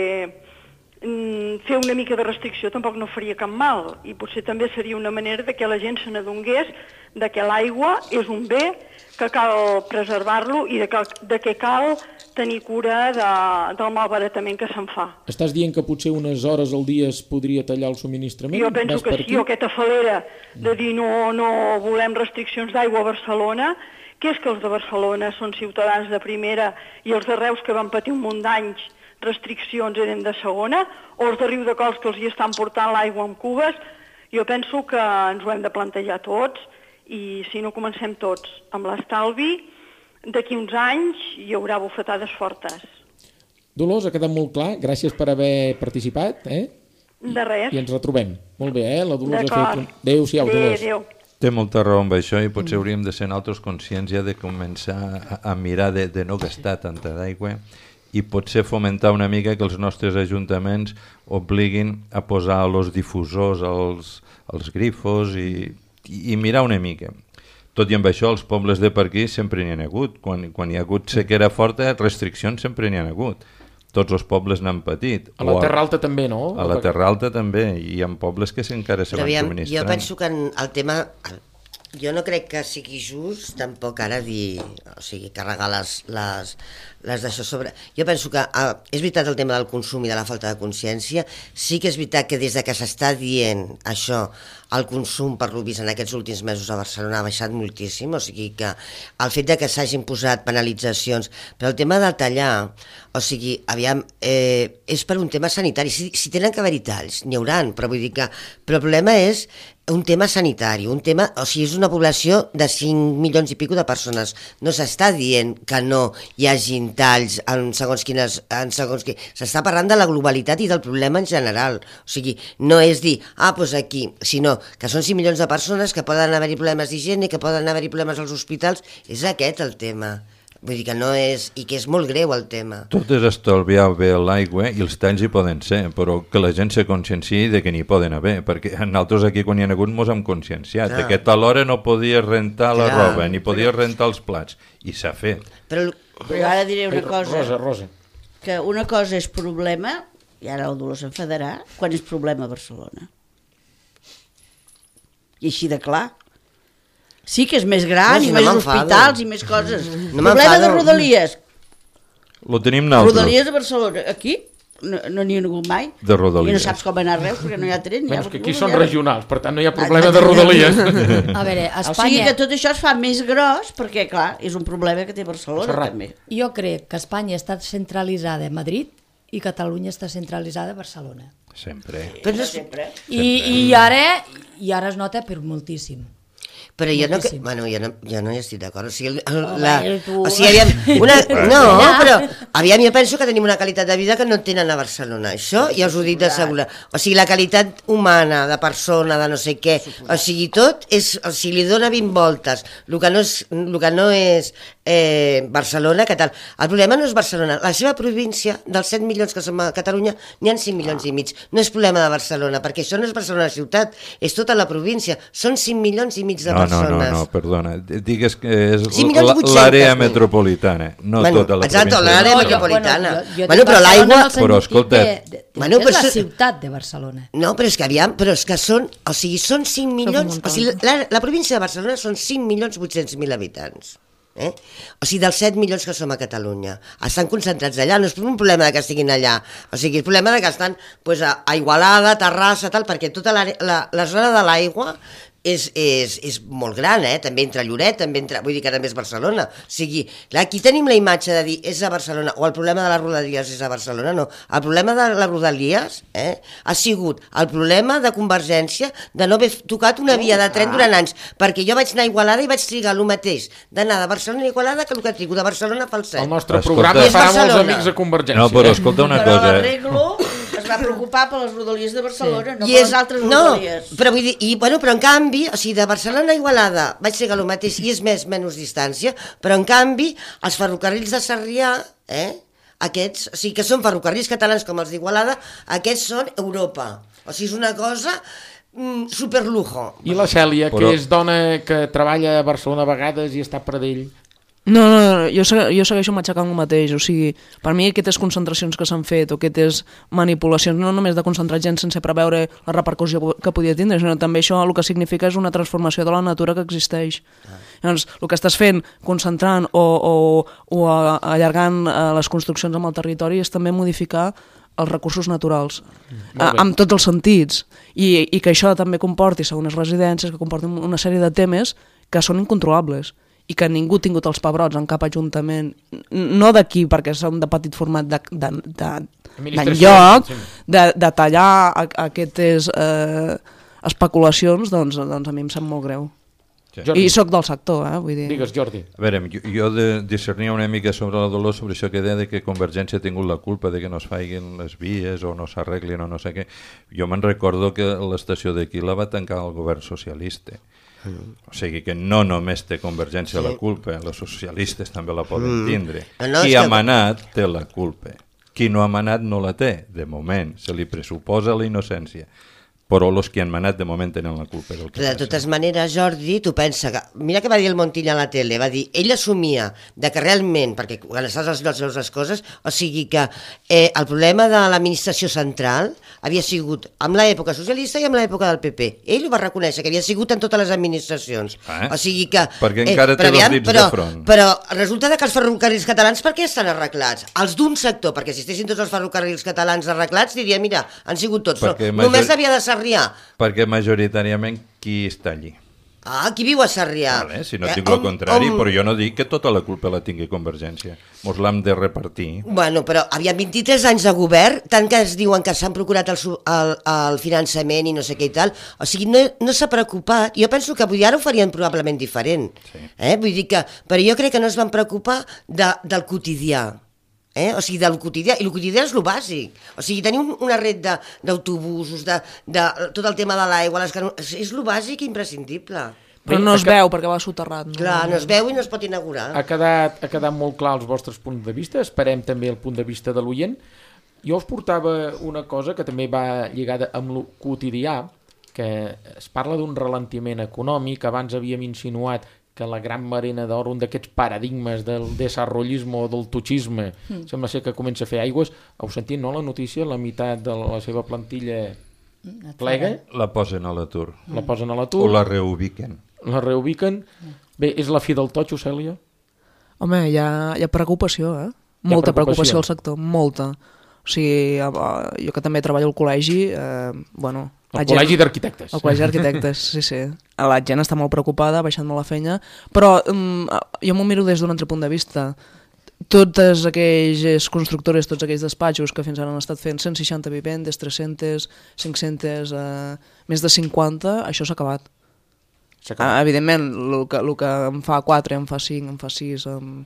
mm, fer una mica de restricció tampoc no faria cap mal. I potser també seria una manera de que la gent se n'adongués de que l'aigua és un bé que cal preservar-lo i de que, de que cal tenir cura de, del malbaratament que se'n fa. Estàs dient que potser unes hores al dia es podria tallar el subministrament? Jo penso que sí, o aquesta falera de dir no, no volem restriccions d'aigua a Barcelona, que és que els de Barcelona són ciutadans de primera i els de Reus que van patir un munt d'anys restriccions eren de segona, o els de Riudecols que els hi estan portant l'aigua amb cubes. Jo penso que ens ho hem de plantejar tots i si no comencem tots amb l'estalvi, d'aquí uns anys hi haurà bufetades fortes. Dolors, ha quedat molt clar. Gràcies per haver participat. Eh? De res. I ens retrobem. Molt bé, eh? La Dolors ha fet... Adéu-siau, Dolors. Adéu. Té molta raó amb això i potser hauríem de ser nosaltres conscients ja de començar a, a mirar de, de no gastar tanta d'aigua i potser fomentar una mica que els nostres ajuntaments obliguin a posar els difusors als, als grifos i, i mirar una mica. Tot i amb això, els pobles de per aquí sempre n'hi ha hagut. Quan, quan hi ha hagut sequera forta, restriccions sempre n'hi ha hagut. Tots els pobles n'han patit. A la Terra Alta també, no? A la Terra Alta també, i hi ha pobles que encara se van subministrant. Jo penso que el tema... Jo no crec que sigui just tampoc ara dir, o sigui, carregar les, les, les d'això sobre... Jo penso que uh, és veritat el tema del consum i de la falta de consciència, sí que és veritat que des de que s'està dient això, el consum per lo vist en aquests últims mesos a Barcelona ha baixat moltíssim, o sigui que el fet de que s'hagin posat penalitzacions, però el tema de tallar, o sigui, aviam, eh, és per un tema sanitari, si, si tenen que haver-hi talls, n'hi hauran, però vull dir que però el problema és un tema sanitari, un tema, o sigui, és una població de cinc milions i pico de persones. No s'està dient que no hi hagin talls en segons quines... En segons qui... S'està parlant de la globalitat i del problema en general. O sigui, no és dir, ah, doncs aquí, sinó que són cinc milions de persones que poden haver-hi problemes d'higiene, que poden haver-hi problemes als hospitals. És aquest el tema. Vull dir que no és... i que és molt greu el tema. Tot és estalviar bé l'aigua i els talls hi poden ser, però que la gent se conscienciï de que n'hi poden haver, perquè nosaltres aquí quan hi ha hagut mos hem conscienciat, Clar. que a tal hora no podies rentar la Clar. roba, ni podies rentar els plats, i s'ha fet. Però, però ara diré una cosa, Rosa, Rosa. que una cosa és problema, i ara el Dolors s'enfadarà, quan és problema a Barcelona. I així de clar. Sí que és més gran, no, si i no més hospitals i més coses. No Problema de Rodalies. Lo tenim nosaltres. Rodalies a Barcelona. Aquí? no, no n'hi ha hagut mai. De Rodalies. I no saps com anar a Reus, perquè no hi ha tren. Menys que aquí són regionals, per tant no hi ha problema de Rodalies. A veure, a Espanya... O sigui que tot això es fa més gros, perquè, clar, és un problema que té Barcelona, Serrat. també. Jo crec que Espanya està centralitzada a Madrid i Catalunya està centralitzada a Barcelona. Sempre. Però no sempre. I, i, ara, I ara es nota per moltíssim. Però jo no, que, Moltíssim. bueno, jo no, jo no hi estic d'acord. O sigui, el, Home, la, tu- o sigui aviam, una, no, però aviam, jo penso que tenim una qualitat de vida que no tenen a Barcelona. Això ja us ho dic d'assegurar. O sigui, la qualitat humana, de persona, de no sé què, o sigui, tot, és, o sigui, li dona vint voltes. El que no és, el que no és eh, Barcelona, que tal. El problema no és Barcelona. La seva província, dels set milions que som a Catalunya, n'hi ha cinc milions i mig. No és problema de Barcelona, perquè això no és Barcelona ciutat, és tota la província. Són cinc milions i mig de No, no, persones. no, no, perdona. Digues que és Sí, milions la- vuit-cents l'àrea mil. metropolitana, no Bueno, tota la exacte, província. l'àrea de metropolitana. Barcelona. Bueno, jo, jo Bueno, dic però Barcelona l'aigua- en el sentit Però escolta- de, de, de, Bueno, és però la això- ciutat de Barcelona. No, però és que aviam, però és que són, o sigui, són cinc milions, un o sigui, la, la província de Barcelona són cinc milions vuit-cents mil habitants. Eh? O sigui, dels set milions que som a Catalunya. Estan concentrats allà, no és un problema de que estiguin allà, o sigui, és problema de que estan pues, a, a Igualada, Terrassa, tal, perquè tota la, la, la zona de l'aigua és, és, és molt gran, eh? També entre Lloret, també entre, vull dir que també és Barcelona. O sigui, clar, aquí tenim la imatge de dir és a Barcelona, o el problema de les Rodalies és a Barcelona, no. El problema de les Rodalies eh, ha sigut el problema de Convergència de no haver tocat una via de tren durant anys, perquè jo vaig anar a Igualada i vaig trigar el mateix d'anar de Barcelona a Igualada que el que trigo de Barcelona pel El set. nostre Escolta. programa I és farà molts Barcelona. amics a Convergència. No, però escolta una Però cosa. l'arreglo es va preocupar per les Rodalies de Barcelona, no I per és, les altres no, Rodalies. però vull dir, i, bueno, però en canvi, o sigui, de Barcelona a Igualada vaig trigar el mateix i és més menys distància, però en canvi els ferrocarrils de Sarrià, eh, aquests, o sigui, que són ferrocarrils catalans com els d'Igualada, aquests són Europa. O sigui, és una cosa mm, superlujo. I la Cèlia, Però- que és dona que treballa a Barcelona a vegades i està a Pradell. No, no, no, jo, segu jo segueixo matxacant el mateix, o sigui, per mi aquestes concentracions que s'han fet o aquestes manipulacions, no només de concentrar gent sense preveure la repercussió que podia tindre, sinó també això el que significa és una transformació de la natura que existeix. Ah. Llavors, el que estàs fent, concentrant o, o, o allargant les construccions amb el territori és també modificar els recursos naturals, a, amb tots els sentits, I, i que això també comporti segones residències, que comportin una sèrie de temes que són incontrolables i que ningú ha tingut els pebrots en cap ajuntament, no d'aquí perquè som de petit format d'enlloc, de, de, de, de tallar a, a aquestes eh, especulacions, doncs, doncs a mi em sap molt greu. Sí. Jordi. I sóc del sector, eh? Vull dir... Digues, Jordi. A veure, jo, jo de, discernia una mica sobre la Dolors, sobre això que deia de que Convergència ha tingut la culpa de que no es faiguin les vies o no s'arreglin o no sé què. Jo me'n recordo que l'estació d'aquí la va tancar el govern socialista. O sigui que no només té Convergència sí. la culpa, els socialistes també la poden tindre. No, no, Qui és ha que- manat té la culpa. Qui no ha manat no la té, de moment. Se li pressuposa la innocència. Però els que han manat de moment tenen la culpa del que De passa. totes maneres, Jordi, tu pensa que... Mira que va dir el Montilla a la tele, va dir, ell assumia de que realment, perquè quan estàs als llocs veus les coses, o sigui que eh, el problema de l'administració central havia sigut amb l'època socialista i amb l'època del P P. Ell ho va reconèixer, que havia sigut en totes les administracions. Eh? O sigui que... Perquè encara té però dos dits però, de front. Però resulta que els ferrocarrils catalans per què estan arreglats? Els d'un sector, perquè si estessin tots els ferrocarrils catalans arreglats, diria, mira, han sigut tots. Perquè No, només major- havia de Sarrià. Perquè majoritàriament qui està allí? Ah, qui viu a Sarrià? Vale, si no Eh, tinc el on- contrari, on- però jo no dic que tota la culpa la tingui Convergència. Mos l'hem de repartir. Bueno, però havia vint-i-tres anys de govern, tant que es diuen que s'han procurat el, su- el, el finançament i no sé què i tal, o sigui, no, no s'ha preocupat. Jo penso que avui ara ho farien probablement diferent. Sí. Eh? Vull dir que, però jo crec que no es van preocupar de, del quotidià. Eh? O sigui, del quotidià, i el quotidià és el bàsic. O sigui, tenir un, una red de- d'autobusos, de, de, de tot el tema de l'aigua, les cano... és, és el bàsic i imprescindible. Però no es veu perquè va soterrat. No? Clar, no es veu i no es pot inaugurar. Ha quedat, ha quedat molt clar els vostres punts de vista, esperem també el punt de vista de l'oient. Jo us portava una cosa que també va lligada amb el quotidià, que es parla d'un ralentiment econòmic. Abans havíem insinuat que la gran marina d'or, un d'aquests paradigmes del desarrollisme o del tuchisme, mm. sembla ser que comença a fer aigües. Heu sentit, no, la notícia? La meitat de la seva plantilla plega, La posen a l'atur. la posen a O l'atur, la reubiquen. la reubiquen. Bé, és la fi del totxo, Cèlia? Home, hi ha, hi ha preocupació, eh? Molta preocupació. preocupació al sector, molta. O sigui, jo que també treballo al col·legi, eh, bueno... El col·legi d'arquitectes. El col·legi d'arquitectes, sí, sí. La gent està molt preocupada, ha baixat molt la feina, però um, jo m'ho miro des d'un altre punt de vista. Totes aquelles constructores, tots aquells despatxos que fins ara han estat fent cent seixanta vivendes, tres-centes, cinc-centes, eh, més de cinquanta, això s'ha acabat. Ah, evidentment, el que, el que em fa quatre, em fa cinc, em fa sis, em,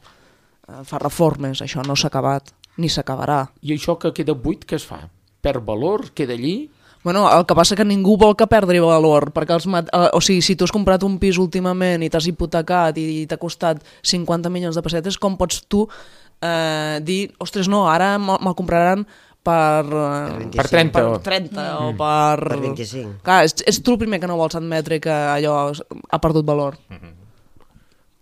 em fa reformes, això no s'ha acabat, ni s'acabarà. I això que queda buit, què es fa? Perd valor? Queda allí? Bueno, el que passa que ningú vol que perdri valor, perquè els mat... o sigui, si tu has comprat un pis últimament i t'has hipotecat i t'ha costat cinquanta milions de pessetes, com pots tu eh, dir, ostres, no, ara me'l compraran per, eh, per trenta, per trenta o mm. per... Per vint-i-cinc. Clar, és, és tu el primer que no vols admetre que allò ha perdut valor. Mm-hmm.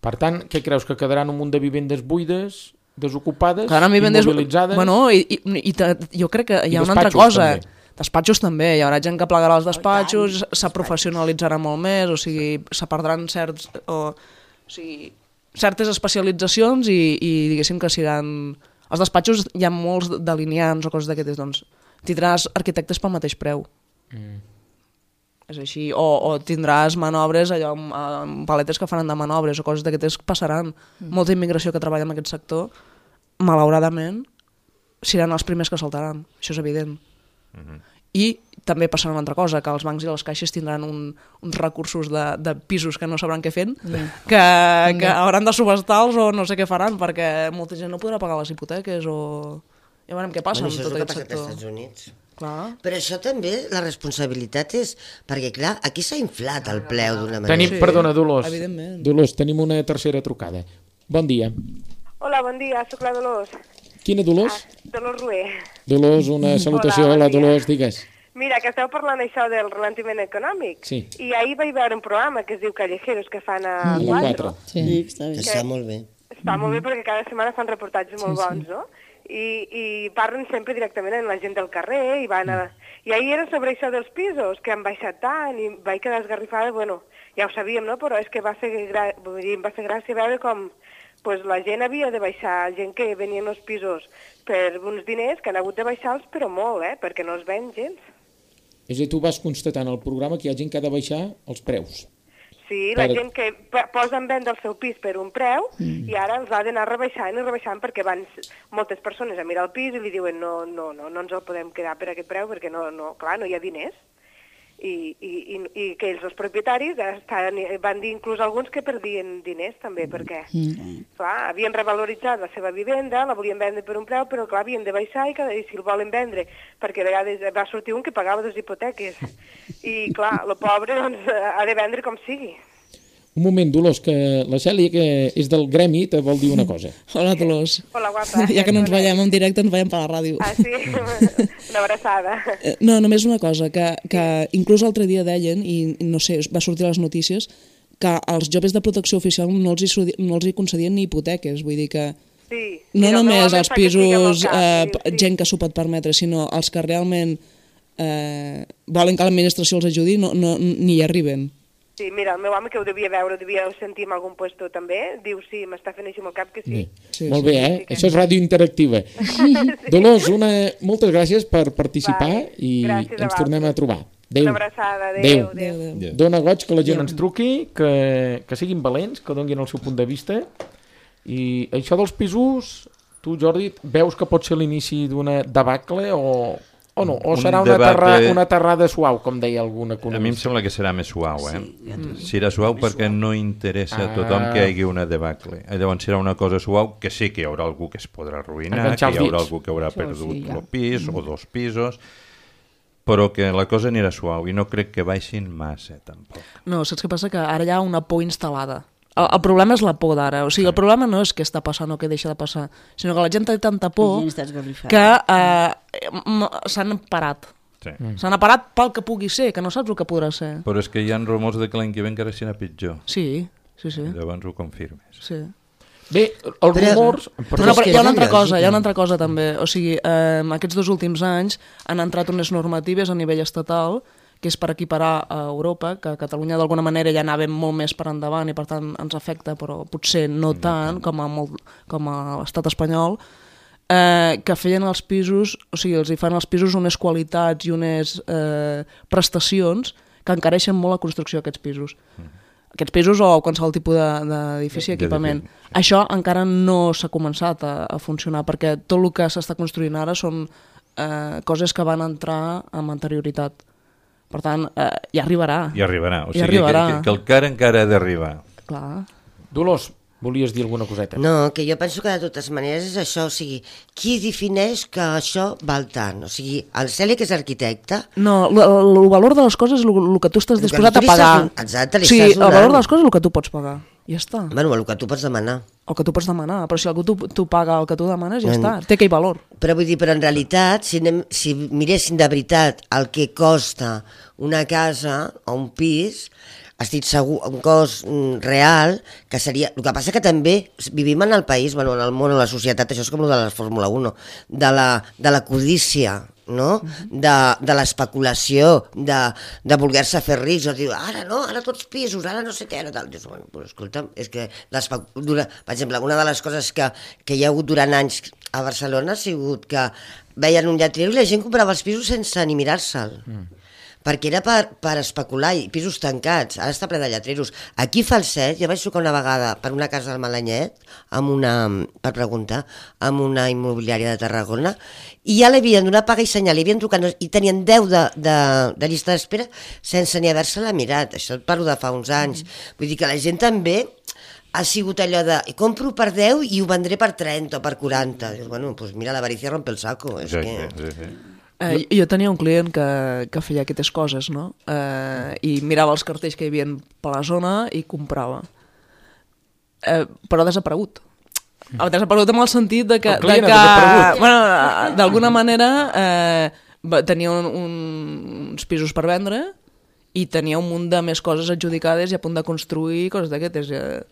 Per tant, què creus, que quedaran un munt de vivendes buides, desocupades, vivendes... immobilitzades? Bueno, i, i, i te, jo crec que hi ha una altra cosa. També. Despatxos també, hi haurà gent que plegarà els despatxos, oh, se professionalitzarà molt més, o sigui, se perdran certs, o, o sigui, certes especialitzacions i, i diguéssim que seran... Els despatxos hi ha molts delineants o coses d'aquestes, doncs tindràs arquitectes pel mateix preu. Mm. És així, o, o tindràs manobres, allò, amb paletes que faran de manobres o coses d'aquestes passaran. Mm. Molta immigració que treballa en aquest sector, malauradament, seran els primers que saltaran, això és evident. Uh-huh. I també passarà una altra cosa, que els bancs i les caixes tindran un, uns recursos de, de pisos que no sabran què fent, yeah. que, que yeah. hauran de subestar-los o no sé què faran, perquè molta gent no podrà pagar les hipoteques o... Ja veurem què passa bueno, amb tot aquest Això és el que sector. passa als Estats Units. Clar. Però això també, la responsabilitat és... Perquè, clar, aquí s'ha inflat el preu d'una manera. Tenim, sí, perdona, Dolors. Evidentment. Dolors, tenim una tercera trucada. Bon dia. Hola, bon dia, sóc la Dolors. Quina Dolors? Ah, Dolors Rué. Dolors, una salutació. Hola, bon Dolors, digues. Mira, que esteu parlant això del ralentiment econòmic. Sí. I ahir vaig veure un programa que es diu Callejeros, que fan a mm. quatre. Sí, està bé. Que està molt bé. Està molt bé perquè cada setmana fan reportatges molt sí, bons, sí. no? I, I parlen sempre directament amb la gent del carrer i van a... I ahir era sobre això dels pisos, que han baixat tant i vaig quedar esgarrifada, bueno, ja ho sabíem, no? Però és que va fer, gra... em va fer gràcia veure com pues, la gent havia de baixar, gent que venien als pisos per uns diners que han hagut de baixar-los, però molt, eh? Perquè no es ven gens. És a dir, tu vas constatant al programa que hi ha gent que ha de baixar els preus. Sí, la per... gent que posa en venda el seu pis per un preu mm. i ara els ha d'anar rebaixant i rebaixant perquè van moltes persones a mirar el pis i li diuen no, no, no, no ens el podem quedar per aquest preu perquè no, no, clar, no hi ha diners. I, i, i, i que ells, els propietaris, estan, van dir inclús alguns que perdien diners també, perquè mm. clar, havien revaloritzat la seva vivenda, la volien vendre per un preu, però clar, havien de baixar i, cada, i si el volen vendre, perquè a vegades va sortir un que pagava dues hipoteques. I clar, el pobre doncs, ha de vendre com sigui. Un moment, Dolors, que la Cèlia, que és del gremi, te vol dir una cosa. Hola, Dolors. Hola, guapa. Ja que no ens veiem en directe, ens veiem per la ràdio. Ah, sí? Una abraçada. No, només una cosa, que, que inclús l'altre dia deien, i no sé, va sortir a les notícies, que als joves de protecció oficial no els hi, no els hi concedien ni hipoteques, vull dir que sí, no només els pisos, cap, eh, sí, sí. gent que s'ho pot permetre, sinó els que realment eh, volen que l'administració els ajudi, no, no, ni hi arriben. Sí, mira, el meu home que ho devia veure, ho devia sentir en algun puesto també, diu sí, m'està fent així amb el cap que sí. sí. sí Molt bé, eh? Sí, que... Això és ràdio interactiva. sí. Dolors, una... moltes gràcies per participar vale. i gràcies ens tornem a trobar. Adéu. Una abraçada, adéu. adéu. adéu. adéu. Dóna goig que la gent adéu. ens truqui, que, que siguin valents, que donguin el seu punt de vista. I això dels pisos, tu, Jordi, veus que pot ser l'inici d'una debacle o... O no, o serà una, terra, una terrada suau, com deia algun economista. A mi em sembla que serà més suau, eh? Sí, ja mm. Serà suau perquè no interessa a tothom que hi hagi una debacle. Llavors serà una cosa suau que sí que hi haurà algú que es podrà arruïnar, que hi haurà algú que haurà perdut sí, ja. el pis mm. o dos pisos, però que la cosa anirà suau i no crec que baixin massa, tampoc. No, saps què passa? Que ara hi ha una por instal·lada. El, el problema és la por d'ara, o sigui, el problema no és què està passant o què deixa de passar, sinó que la gent té tanta por que eh, s'han parat. Sí. S'han parat pel que pugui ser, que no saps el que podrà ser. Però és que hi ha rumors de que l'any que ve encara serà pitjor. Sí, sí, sí. Llavors ho confirmes. Sí. Bé, els rumors... Però, no, però hi ha una altra cosa, hi ha una altra cosa també. O sigui, eh, aquests dos últims anys han entrat unes normatives a nivell estatal que és per equiparar a Europa, que a Catalunya d'alguna manera ja anàvem molt més per endavant i per tant ens afecta, però potser no tant com a, molt, com a l'estat espanyol, eh, que feien els pisos, o sigui, els hi fan als pisos unes qualitats i unes eh, prestacions que encareixen molt la construcció d'aquests pisos. Mm. Aquests pisos o qualsevol tipus d'edifici, equipament. Sí. Això encara no s'ha començat a, a funcionar, perquè tot el que s'està construint ara són eh, coses que van entrar amb anterioritat. Per tant, eh, ja arribarà. Ja arribarà, o sigui arribarà. Que, que el car encara ha d'arribar. Clar. Dolors, volies dir alguna coseta? No, que jo penso que de totes maneres és això, o sigui, qui defineix que això val tant? O sigui, el Celi, que és arquitecte... No, el valor de les coses és el que tu estàs disposat a pagar. Exacte, li sí, estàs donant. El valor de les coses és el que tu pots pagar. Ja està. Bueno, el que tu pots demanar. El que tu pots demanar, però si algú tu, tu paga el que tu demanes, ja bueno, està, té aquell valor. Però vull dir, però en realitat, si, anem, si miressin de veritat el que costa una casa o un pis, estic segur, un cost mm, real, que seria... El que passa que també vivim en el país, bueno, en el món, en la societat, això és com el de la Fórmula un, de la, de la codícia, no? De, de l'especulació, de, de voler-se fer rics, o dir, ara no, ara tots pisos, ara no sé què, ara tal. Dius, bueno, pues, escolta'm, és que, per exemple, una de les coses que, que hi ha hagut durant anys a Barcelona ha sigut que veien un lletrero i la gent comprava els pisos sense ni mirar-se'l. Mm. Perquè era per, per especular, i pisos tancats, ara està ple de lletreros. Aquí Falset, jo vaig trucar una vegada per una casa del Malanyet, amb una, per preguntar, amb una immobiliària de Tarragona, i ja l'havien donat paga i senyal, i, trucat, i tenien deu de, de, de llista d'espera sense ni haver-se-la mirat. Això et parlo de fa uns anys. Vull dir que la gent també ha sigut allò de compro per deu i ho vendré per trenta o per quaranta. Dius, bueno, doncs mira, l'avarícia rompe el saco. És sí, que... sí, sí. Eh, jo tenia un client que, que feia aquestes coses, no? Eh, I mirava els cartells que hi havia per la zona i comprava. Eh, però ha desaparegut. Ha desaparegut en el sentit de que... De que bueno, d'alguna manera eh, tenia un, un, uns pisos per vendre i tenia un munt de més coses adjudicades i a punt de construir coses d'aquestes. Eh,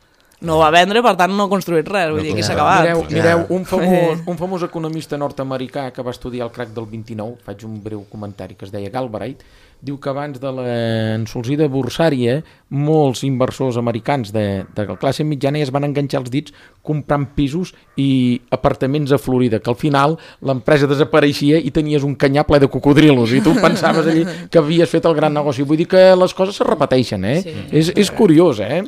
no va vendre, per tant no ha construït res, vull dir que s'ha acabat. Mireu, mireu un, famós, un famós economista nord-americà que va estudiar el crac del vint-i-nou, faig un breu comentari, que es deia Galbraith, diu que abans de l'ensolsida borsària molts inversors americans de, de la classe mitjana ja es van enganxar els dits comprant pisos i apartaments a Florida, que al final l'empresa desapareixia i tenies un canyar ple de cocodrilos i tu pensaves allí que havies fet el gran negoci. Vull dir que les coses se repeteixen, eh? Sí. És, és curiós, eh?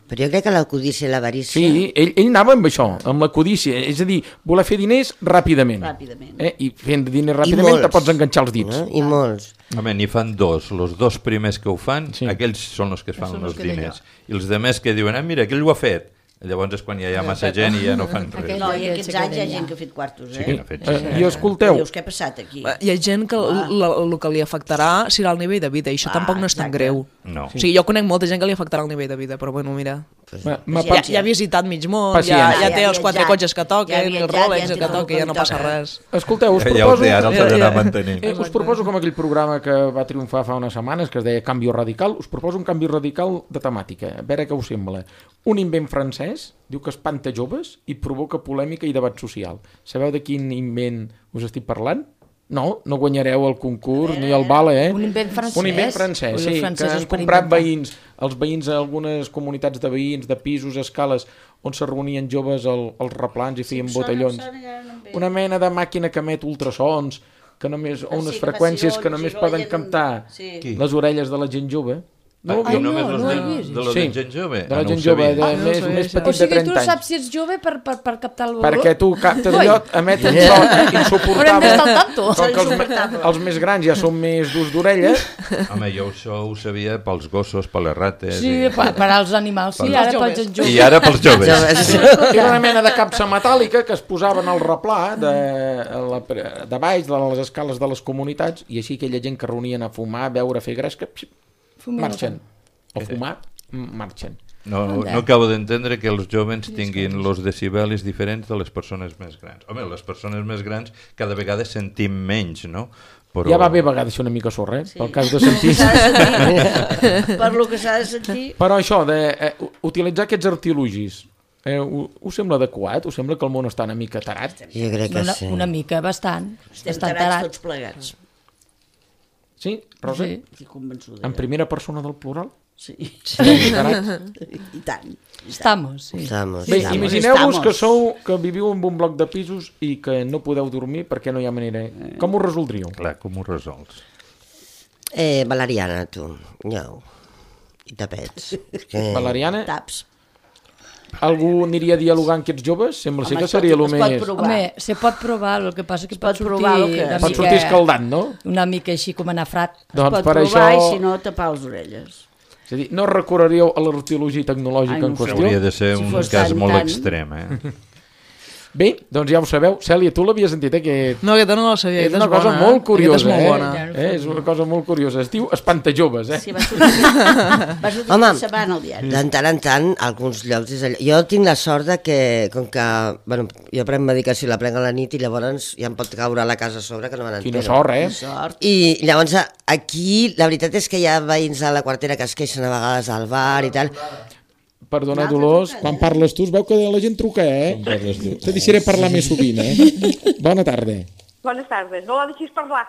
Però jo crec que la codícia i l'avarícia... Sí, ell, ell anava amb això, amb la codícia, és a dir, voler fer diners ràpidament. Ràpidament. Eh? I fent diners ràpidament te pots enganxar els dits. Eh? I molts. Home, n'hi fan dos. Els dos primers que ho fan, sí. Aquells són els que es fan els diners. I els demés que diuen, ah, mira, aquell ho ha fet. Llavors és quan ja hi ha massa gent i ja no fan res. No, i aquests anys hi ha gent que ha fet quartos, eh? Sí, que fet, sí. I escolteu... Dius, què ha passat aquí? Hi ha gent que el que li afectarà serà el nivell de vida, i això ah, tampoc no és tan exacte. Greu. No. O sigui, jo conec molta gent que li afectarà el nivell de vida, però bueno, mira... Ma, ma ja, ja ha visitat mig món, ja, ja té els quatre cotxes que toquen, el Rolex que toquen, ja no passa res. Escolteu, us proposo... Ja ho té, ara el s'ha d'anar mantenint. Eh, us proposo com aquell programa que va triomfar fa unes setmanes, que es deia Canvi Radical, us proposo un canvi radical de temàtica, a veure què us sembla. Un invent francès, diu que espanta joves i provoca polèmica i debat social. Sabeu de quin invent us estic parlant? No, no guanyareu el concurs eh, ni el vale, eh? Un invent francès? Un invent francès, sí, que han comprat veïns, els veïns a algunes comunitats de veïns, de pisos, escales, on se reunien joves al, als replans i feien sí, botellons. Una mena de màquina que emet ultrasons, que només, o unes sí, freqüències que només poden gent... captar sí. Les orelles de la gent jove. No, ah, no, només no, no de, de la sí, gent jove? De la gent jove, de ah, més, no més petit de trenta anys. O sigui, tu saps si ets jove per, per, per captar el valor? Perquè tu captes allò, emeten so insuportable. Com que els, els més grans ja són més d'ús d'orella. Home, jo això ho sabia pels gossos, per les rates... Sí, i... per, per als animals, sí, ara pels joves. I ara pels joves. Era una mena de capsa metàl·lica que es posava en el replà de, la, de baix, de les escales de les comunitats, i així aquella gent que reunien a fumar, a beure, a fer gresca... marxen, o fumar, marxen. No, no, no acabo d'entendre que els joves tinguin els decibelis diferents de les persones més grans. Home, les persones més grans cada vegada sentim menys, no? Però... Ja va bé a vegades ser una mica sorra, eh? Sí. Pel cas de sentir. Per lo que s'ha de sentir. Però això, d'utilitzar eh, aquests artilugis, eh, us sembla adequat? Us sembla que el món està una mica tarat? Jo crec que una, sí. Una mica, bastant. Estem tarats tots plegats. Sí, Rosa? Sí. Estic convençuda. En primera persona del plural? Sí. I tant. Estamos, sí. Estamos. Bé, imagineu-vos que sou, que viviu en un bloc de pisos i que no podeu dormir perquè no hi ha manera. Com ho resoldríeu? Clar, com ho resols? Eh, valeriana, tu. No. I tapets. Que... Valeriana? Taps. Algú aniria a dialogar amb aquests joves? Sembla ser que seria el més... Home, se pot provar, el que passa que pot, pot sortir... Que... Pot sortir escaldat, no? Una mica així com anar frat. Doncs es pot per provar això... i si no, tapar les orelles. És a dir, no recorreríeu a l'arqueologia tecnològica Ai, en qüestió? Hauria de ser si un cas tan, molt tan... extrem, eh? Bé, doncs ja ho sabeu. Cèlia, tu l'havies sentit, eh? Que... No, aquesta no la sabia. És una cosa bona, molt curiosa, molt eh? bona. eh? És una cosa molt curiosa. Es diu Espantajoves, eh? Sí, va sortir, va sortir Home, setmana al diari. De tant en tant, alguns llocs... És allò. Jo tinc la sort de que, com que... Bueno, jo prenc medicació, la prenc a la nit i llavors ja em pot caure a la casa a sobre, que no me n'entero. Quina sort, eh? Sort. I llavors aquí, la veritat és que hi ha veïns a la quartera que es queixen a vegades al bar i tal... Perdona, Dolors, quan parles tu es veu que la gent truca, eh? Te deixaré parlar més sovint, eh? Bona tarda. Bones tardes. No la deixis parlar.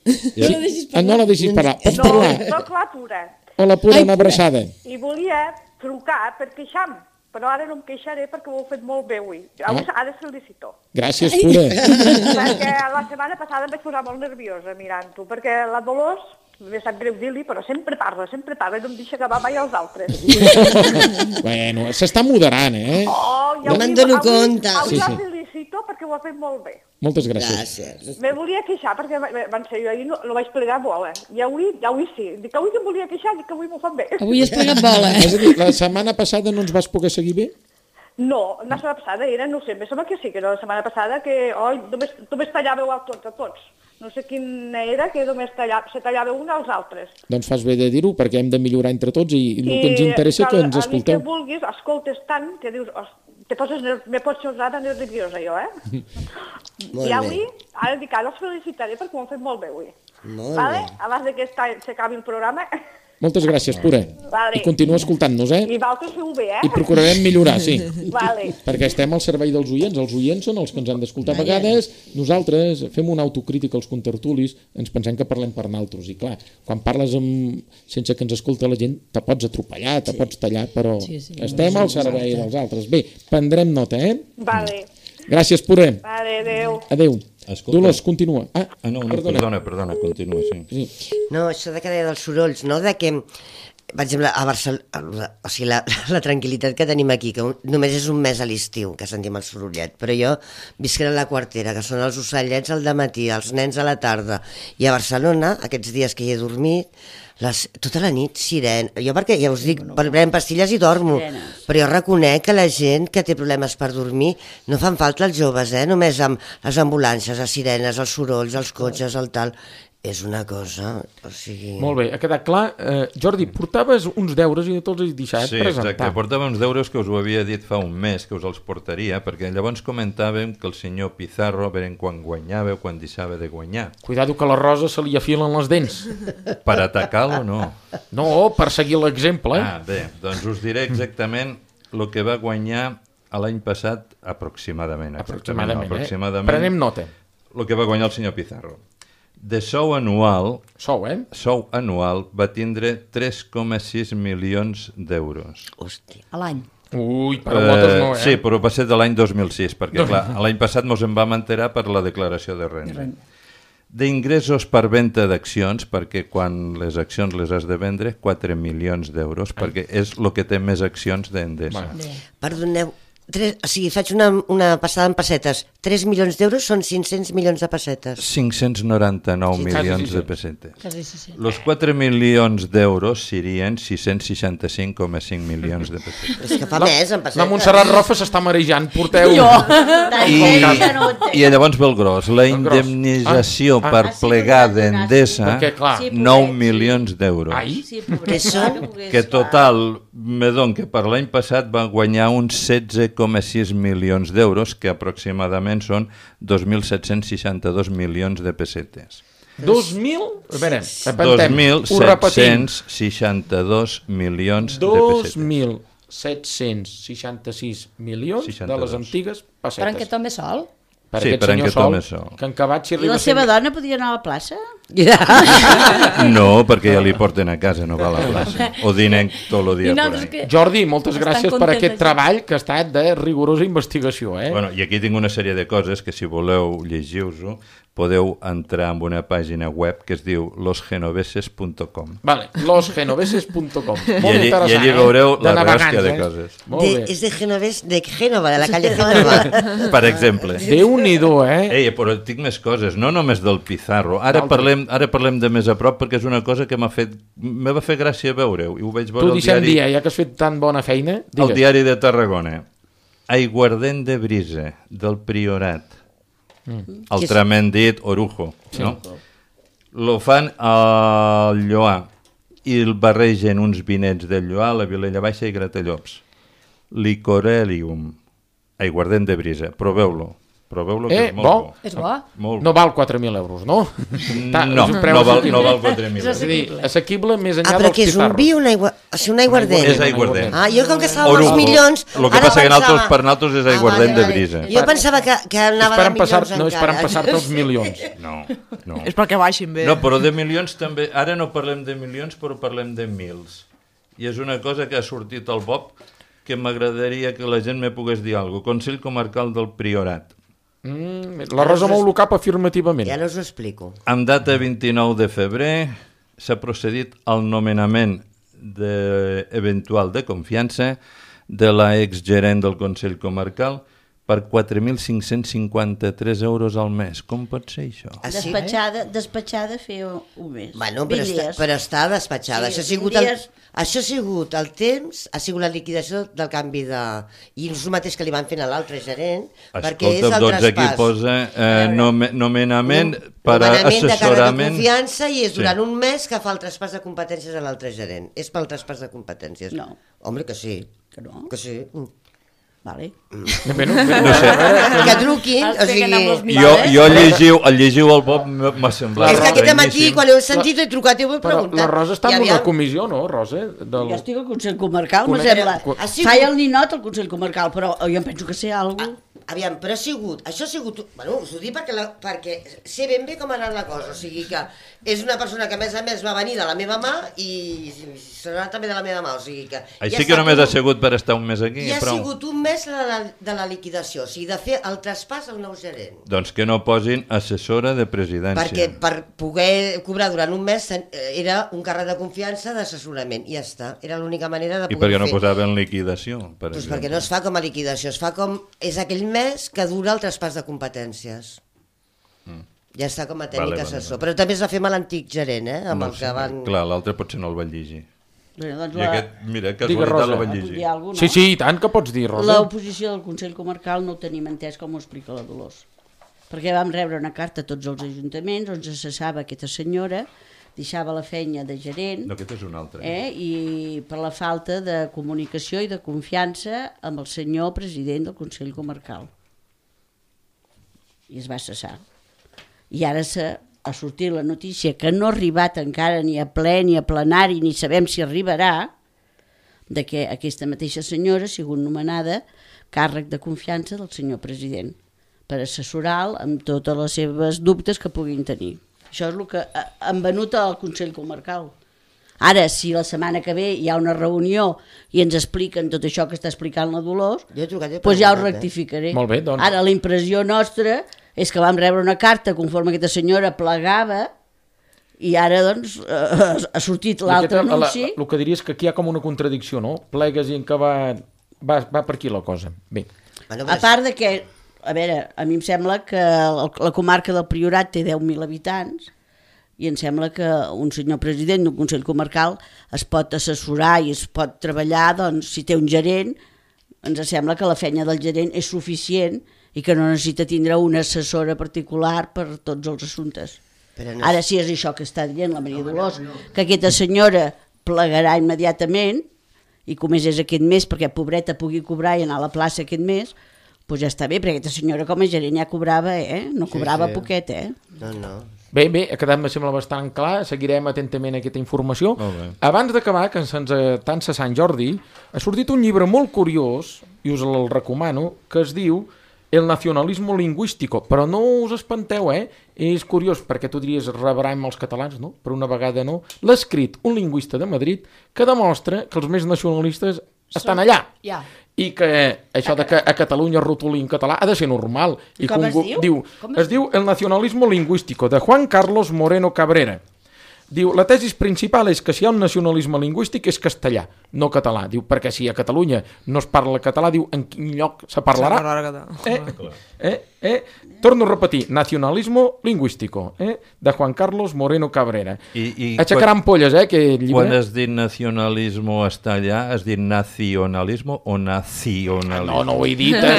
No la deixis parlar. No la deixis parlar. Pots parlar. No, soc la Pura. Hola, Pura, una abraçada. I volia trucar per queixar-me, però ara no em queixaré perquè ho heu fet molt bé avui. Avui ah. Ara felicito. Gràcies, Pura. Perquè la setmana passada em vaig posar molt nerviosa mirant-ho, perquè la Dolors... M'he sap greu dir-li, però sempre parla, sempre parla i no em deixa acabar mai els altres. Bueno, s'està moderant, eh? Oh, ja no me'n dono compte. Avui sí, la sí. felicito perquè ho ha fet molt bé. Moltes gràcies. Gràcies. Me volia queixar perquè van ser jo ahir no, no vaig plegar bola. I avui, avui sí. Dic que avui em volia queixar, dic que avui m'ho fan bé. Avui has plegat bola. És a dir, la setmana passada no ens vas poder seguir bé? No, la setmana passada era, no sé, em sembla que sí, que era la setmana passada que oi, només, només tallàveu a tots, a tots. No sé quina era, que només tallava, se tallava un als altres. Doncs fas bé de dir-ho, perquè hem de millorar entre tots i, i el que ens interessa que ens escolteu. I que vulguis, escoltes tant, que dius, te poses, me pots posar tan nerviosa jo, eh? I avui, ara dic, ara els felicitaré perquè ho han fet molt bé avui. Molt vale? bé. Abans que s'acabi el programa... Moltes gràcies, Pura. Vale. I continua escoltant-nos, eh? I vosaltres feu bé, eh? I procurarem millorar, sí. Vale. Perquè estem al servei dels oients. Els oients són els que ens han d'escoltar a vegades. Nosaltres fem una autocrítica als contertulis, ens pensem que parlem per naltros. I clar, quan parles amb... sense que ens escolta la gent, te pots atropellar, te sí. pots tallar, però sí, sí, estem al servei dels altres. Bé, prendrem nota, eh? Vale. Gràcies, Pura. Vale, adéu. Adéu. Escolta. Dolors, continua. Ah, ah no, no perdona. perdona, perdona, continua, sí. sí. No, això de que deia dels sorolls, no? De que, per exemple, a Barcelona, o sigui, la, la tranquil·litat que tenim aquí, que un, només és un mes a l'estiu que sentim el sorollet, però jo visc a la quartera, que són els ocellets al dematí, els nens a la tarda, i a Barcelona, aquests dies que hi he dormit, les, tota la nit, sirena. Jo perquè, ja us dic, prenc pastilles i dormo, Sirenes. Però jo reconec que la gent que té problemes per dormir no fan falta els joves, eh? Només amb les ambulàncies, les sirenes, els sorolls, els cotxes, el tal... És una cosa, o sigui... Molt bé, ha quedat clar. Eh, Jordi, portaves uns deures i no te'ls has deixat sí, presentar. Sí, exacte, portava uns deures que us ho havia dit fa un mes, que us els portaria, perquè llavors comentàvem que el senyor Pizarro, a veure quan guanyava o quan deixava de guanyar. Cuidado que la Rosa se li afilen les dents. Per atacar-lo, no? No, per seguir l'exemple. Eh? Ah, bé, doncs us diré exactament el que va guanyar l'any passat aproximadament. Aproximadament, no, aproximadament eh? Prenem nota. El que va guanyar el senyor Pizarro. De sou anual, sou, eh? sou anual va tindre tres coma sis milions d'euros. Hòstia. A l'any. Ui, per a moltes no, eh? Sí, però va ser de l'any dos mil sis, perquè clar, l'any passat mos en vam enterar per la declaració de renda. D'ingressos per venda d'accions, perquè quan les accions les has de vendre, quatre milions d'euros, perquè és el que té més accions d'Endesa. Bueno. Perdoneu, tres, o sigui, faig una, una passada en pessetes. tres milions d'euros són cinc-cents milions de pessetes. cinc-cents noranta-nou sí, milions sí, sí. de pessetes. Quasi, sí, sí. Els quatre milions d'euros serien sis-cents seixanta-cinc coma cinc milions de pessetes. És que fa la, més en pessetes. La Montserrat Rofa s'està marejant, porteu... Jo! I, I llavors ve el gros. La indemnització ah, per ah, plegar d'Endesa, nou milions d'euros. Sí, que són? Que total, me don que per l'any passat va guanyar uns setze coma sis milions d'euros, que aproximadament són dos mil set-cents seixanta-dos milions de pessetes. dos mil? A veure, dos mil set-cents seixanta-dos milions de pessetes. dos mil set-cents seixanta-sis milions de les antigues pessetes. Per en què tome sol? Per sí, aquest per senyor en què Sol, tome sol. Que en Cabat, si I la seva dona podia anar a la plaça? No, perquè ja li porten a casa, no va a la plaça. O dinen tot el dia por ahí. Jordi, moltes gràcies per aquest treball que ha estat de rigorosa investigació. Eh? Bueno, i aquí tinc una sèrie de coses que si voleu llegir-vos-ho, podeu entrar en una pàgina web que es diu los genoveses punt com. Vale, los genoveses punt com. Molt I allí, interessant, i allí veureu eh? la ràstia de coses. De, és de Genovés, de Génova, de la calle Génova. Per exemple. Déu-n'hi-do, eh? Ei, però tinc més coses, no només del Pizarro. Ara parlem, ara parlem de més a prop perquè és una cosa que m'ha fet, me va fer gràcia veure-ho. I ho veig veure tu al deixem diari... dia, ja que has fet tan bona feina, digues. El diari de Tarragona. Aiguardent de Brisa, del Priorat. Mm. Altrament dit, Orujo. Sí. No? Lo fan al Lloar i el barregen uns vinets del Lloar, la Vilella Baixa i Gratallops. Licorelium, aiguardent de Brisa. Proveu-lo. Proveu-lo, que eh, és molt bo? bo. És bo? Molt no bo. val quatre mil euros, no? Ta, no, no val, no val quatre mil euros. És a dir, assequible més enllà ah, dels però que és un vi o un, aigua... o sigui, un aiguardent? És aiguardent. Ah, jo com que estava amb els milions... El que passa que nosaltres per nosaltres és aiguardent ah, vale, de Brisa. Jo pensava que, que anava de milions passar, encara. no és per passar-te els milions. No, no. És perquè baixin bé. No, però de milions també... Ara no parlem de milions, però parlem de mils. I és una cosa que ha sortit al Bob que m'agradaria que la gent me pogués dir alguna cosa. Consell Comarcal del Priorat. Mm, la Rosa mou el cap afirmativament. Ja no us ho explico. Amb data vint-i-nou de febrer s'ha procedit al nomenament de, eventual de confiança de la exgerent del Consell Comarcal per quatre mil cinc-cents cinquanta-tres euros al mes. Com pot ser això? Ah, sí? Despatxada, despatxada feia un mes. Bueno, però, està, però està despatxada. Sí, això, ha sigut el, dies... això ha sigut el temps, ha sigut la liquidació del canvi de... I és el mateix que li van fent a l'altre gerent, Escolta, perquè és el doncs traspàs. aquí posa eh, nome, nomenament per a nomenament de càrrec de assessorament... confiança i és durant sí. un mes que fa el traspàs de competències a l'altre gerent. És pel traspàs de competències. No. Home, que sí. Que no? Que sí. Vale. Bé, no, bé, No sé. Que truquin, o sigui... Jo, jo llegiu, el llegiu al Bob m'ha semblat... És que aquest matí, quan heu sentit, he trucat i ho he Però preguntat. la Rosa està I en una aviam- comissió, no, Rosa? Del... Jo estic al Consell Comarcal, me Conec- sembla. Co- Ha sigut- Faig el ninot al Consell Comarcal, però jo em penso que sé alguna cosa. Aviam, però ha sigut, això ha sigut, bueno, us ho dic perquè, la, perquè sé ben bé com ha anat la cosa, o sigui que és una persona que a més a més va venir de la meva mà i serà també de la meva mà, o sigui que... Així ja que només tot, ha sigut per estar un mes aquí, I ha prou. sigut un mes de la, de la liquidació, o sigui, de fer el traspàs al nou gerent. Doncs que no posin assessora de presidència. Perquè per poder cobrar durant un mes era un càrrec de confiança d'assessorament, i ja està, era l'única manera de I poder per què no fer. posaven liquidació? Per Pues exemple? perquè no es fa com a liquidació, es fa com... És aquell mes que dura el traspàs de competències. Mm. Ja està com a tècnic Vale, vale, assessor. vale. Però també es va fer amb l'antic gerent, eh? Amb No el sé, que van... Clar, l'altre potser no el va llegir. Bé, doncs I la... aquest, mira, Digues, casualitat Rosa. el va Vull llegir. dir alguna cosa, Sí, no? sí, i tant que pots dir, Rosa. L'oposició del Consell Comarcal no ho tenim entès com ho explica la Dolors. Perquè vam rebre una carta a tots els ajuntaments on se cessava aquesta senyora, deixava la feina de gerent, No, aquest és un altre. eh, i per la falta de comunicació i de confiança amb el senyor president del Consell Comarcal. I es va cessar. I ara se, ha sortit la notícia que no ha arribat encara ni a ple ni a plenari, ni sabem si arribarà, de que aquesta mateixa senyora ha sigut nomenada càrrec de confiança del senyor president per assessorar-lo amb totes les seves dubtes que puguin tenir. Això és el que ha- han venut al Consell Comarcal. Ara, si la setmana que ve hi ha una reunió i ens expliquen tot això que està explicant la Dolors, Jo he trucat, jo he doncs ja ho preguntat, eh? rectificaré. Molt bé, doncs. Ara, la impressió nostra és que vam rebre una carta conforme aquesta senyora plegava i ara, doncs, eh, ha sortit l'altre Aquesta- la- anunci. la- El que diria és que aquí hi ha com una contradicció, no? Plegues i en què va, va, va per aquí la cosa. Bé. Bueno, A part de que, a veure, a mi em sembla que el- la comarca del Priorat té deu mil habitants i em sembla que un senyor president d'un Consell Comarcal es pot assessorar i es pot treballar, doncs, si té un gerent, ens sembla que la feina del gerent és suficient i que no necessita tindre una assessora particular per tots els assumptes. Però no Ara, si és això que està dient la Maria Dolors, que aquesta senyora plegarà immediatament i comés és aquest mes perquè pobreta pugui cobrar i anar a la plaça aquest mes, doncs ja està bé, perquè aquesta senyora com a gerent ja cobrava, eh? No cobrava sí. poquet, eh? No, no. Bé, bé, ha quedat, me sembla, bastant clar. Seguirem atentament aquesta informació. Molt bé. Abans d'acabar, que se'ns tansa Sant Jordi, ha sortit un llibre molt curiós, i us el recomano, que es diu el nacionalismo lingüístico, però no us espanteu, eh? És curiós, perquè tu diries rebrem els catalans, no? Per una vegada no. L'ha escrit un lingüista de Madrid que demostra que els més nacionalistes estan allà. Ja. I que això de que a Catalunya rotulin català ha de ser normal. I com es diu? diu? Es diu El nacionalismo lingüístico, de Juan Carlos Moreno Cabrera. Diu, la tesi principal és que si hi ha un nacionalisme lingüístic és castellà, no català. Diu, perquè si a Catalunya no es parla català, diu, en quin lloc se parlarà? Eh, eh, eh? Torno a repetir, nacionalismo lingüístico, eh? De Juan Carlos Moreno Cabrera. I, i Aixecaran quan, polles, eh, aquest llibre. Quan has dit nacionalismo està allà, has dit nacionalismo o nacionalismo? No, no ho he dit, eh?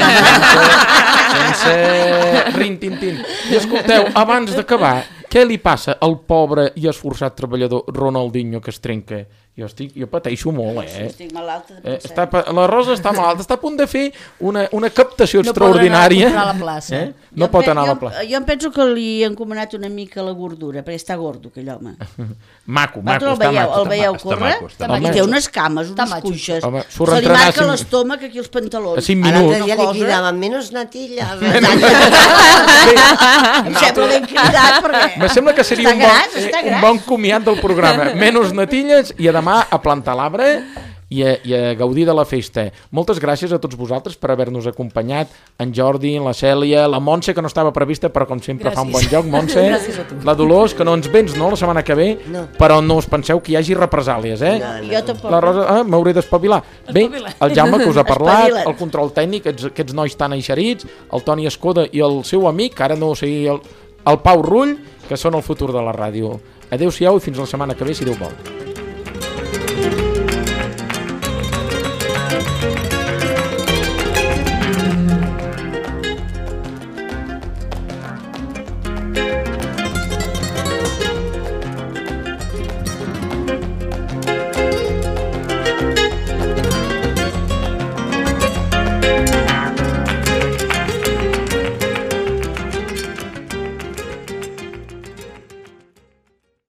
sense, sense rin-tin-tin. I escolteu, abans d'acabar, què li passa al pobre i esforçat treballador Ronaldinho que es trenca? Jo, estic, jo pateixo molt, eh? Sí, estic malalta de eh pensar. està, la Rosa està malalta, està a punt de fer una, una captació No extraordinària. pot anar a la plaça. Eh? No Jo pot pe- anar a la jo- plaça. Jo em penso que li he encomanat una mica la gordura, perquè està gordo, aquell home. Maco, maco, Vosaltres el està veieu, maco. el veieu Està córrer? maco, està I maco. té unes cames, Està unes maco. cuixes. Home, Se surt li entrenar marca cinc- l'estómac aquí els pantalons. A cinc Ara minuts. l'altre dia Una li cosa- cridaven menos natilla. Em sembla ben cridat, perquè... Me sembla que seria Està un bon, gras, està eh, un gras. bon comiat del programa. Menys natilles i a demà a plantar l'arbre i a, i a gaudir de la festa. Moltes gràcies a tots vosaltres per haver-nos acompanyat, en Jordi, la Cèlia, la Montse, que no estava prevista, però com sempre Gràcies. fa un bon joc, Montse, Gràcies a tu. la Dolors, que no ens vens, no?, la setmana que ve, No. però no us penseu que hi hagi represàlies, eh? No, no. Jo tampoc. La Rosa, ah, m'hauré d'espavilar. Bé, Espavila't. el Jaume, que us ha parlat, Espavila't. el control tècnic, aquests, aquests nois tan eixerits, el Toni Escoda i el seu amic, que ara no sé, el, el Pau Rull, que són el futur de la ràdio. Adéu-siau i fins la setmana que ve, si Déu vol.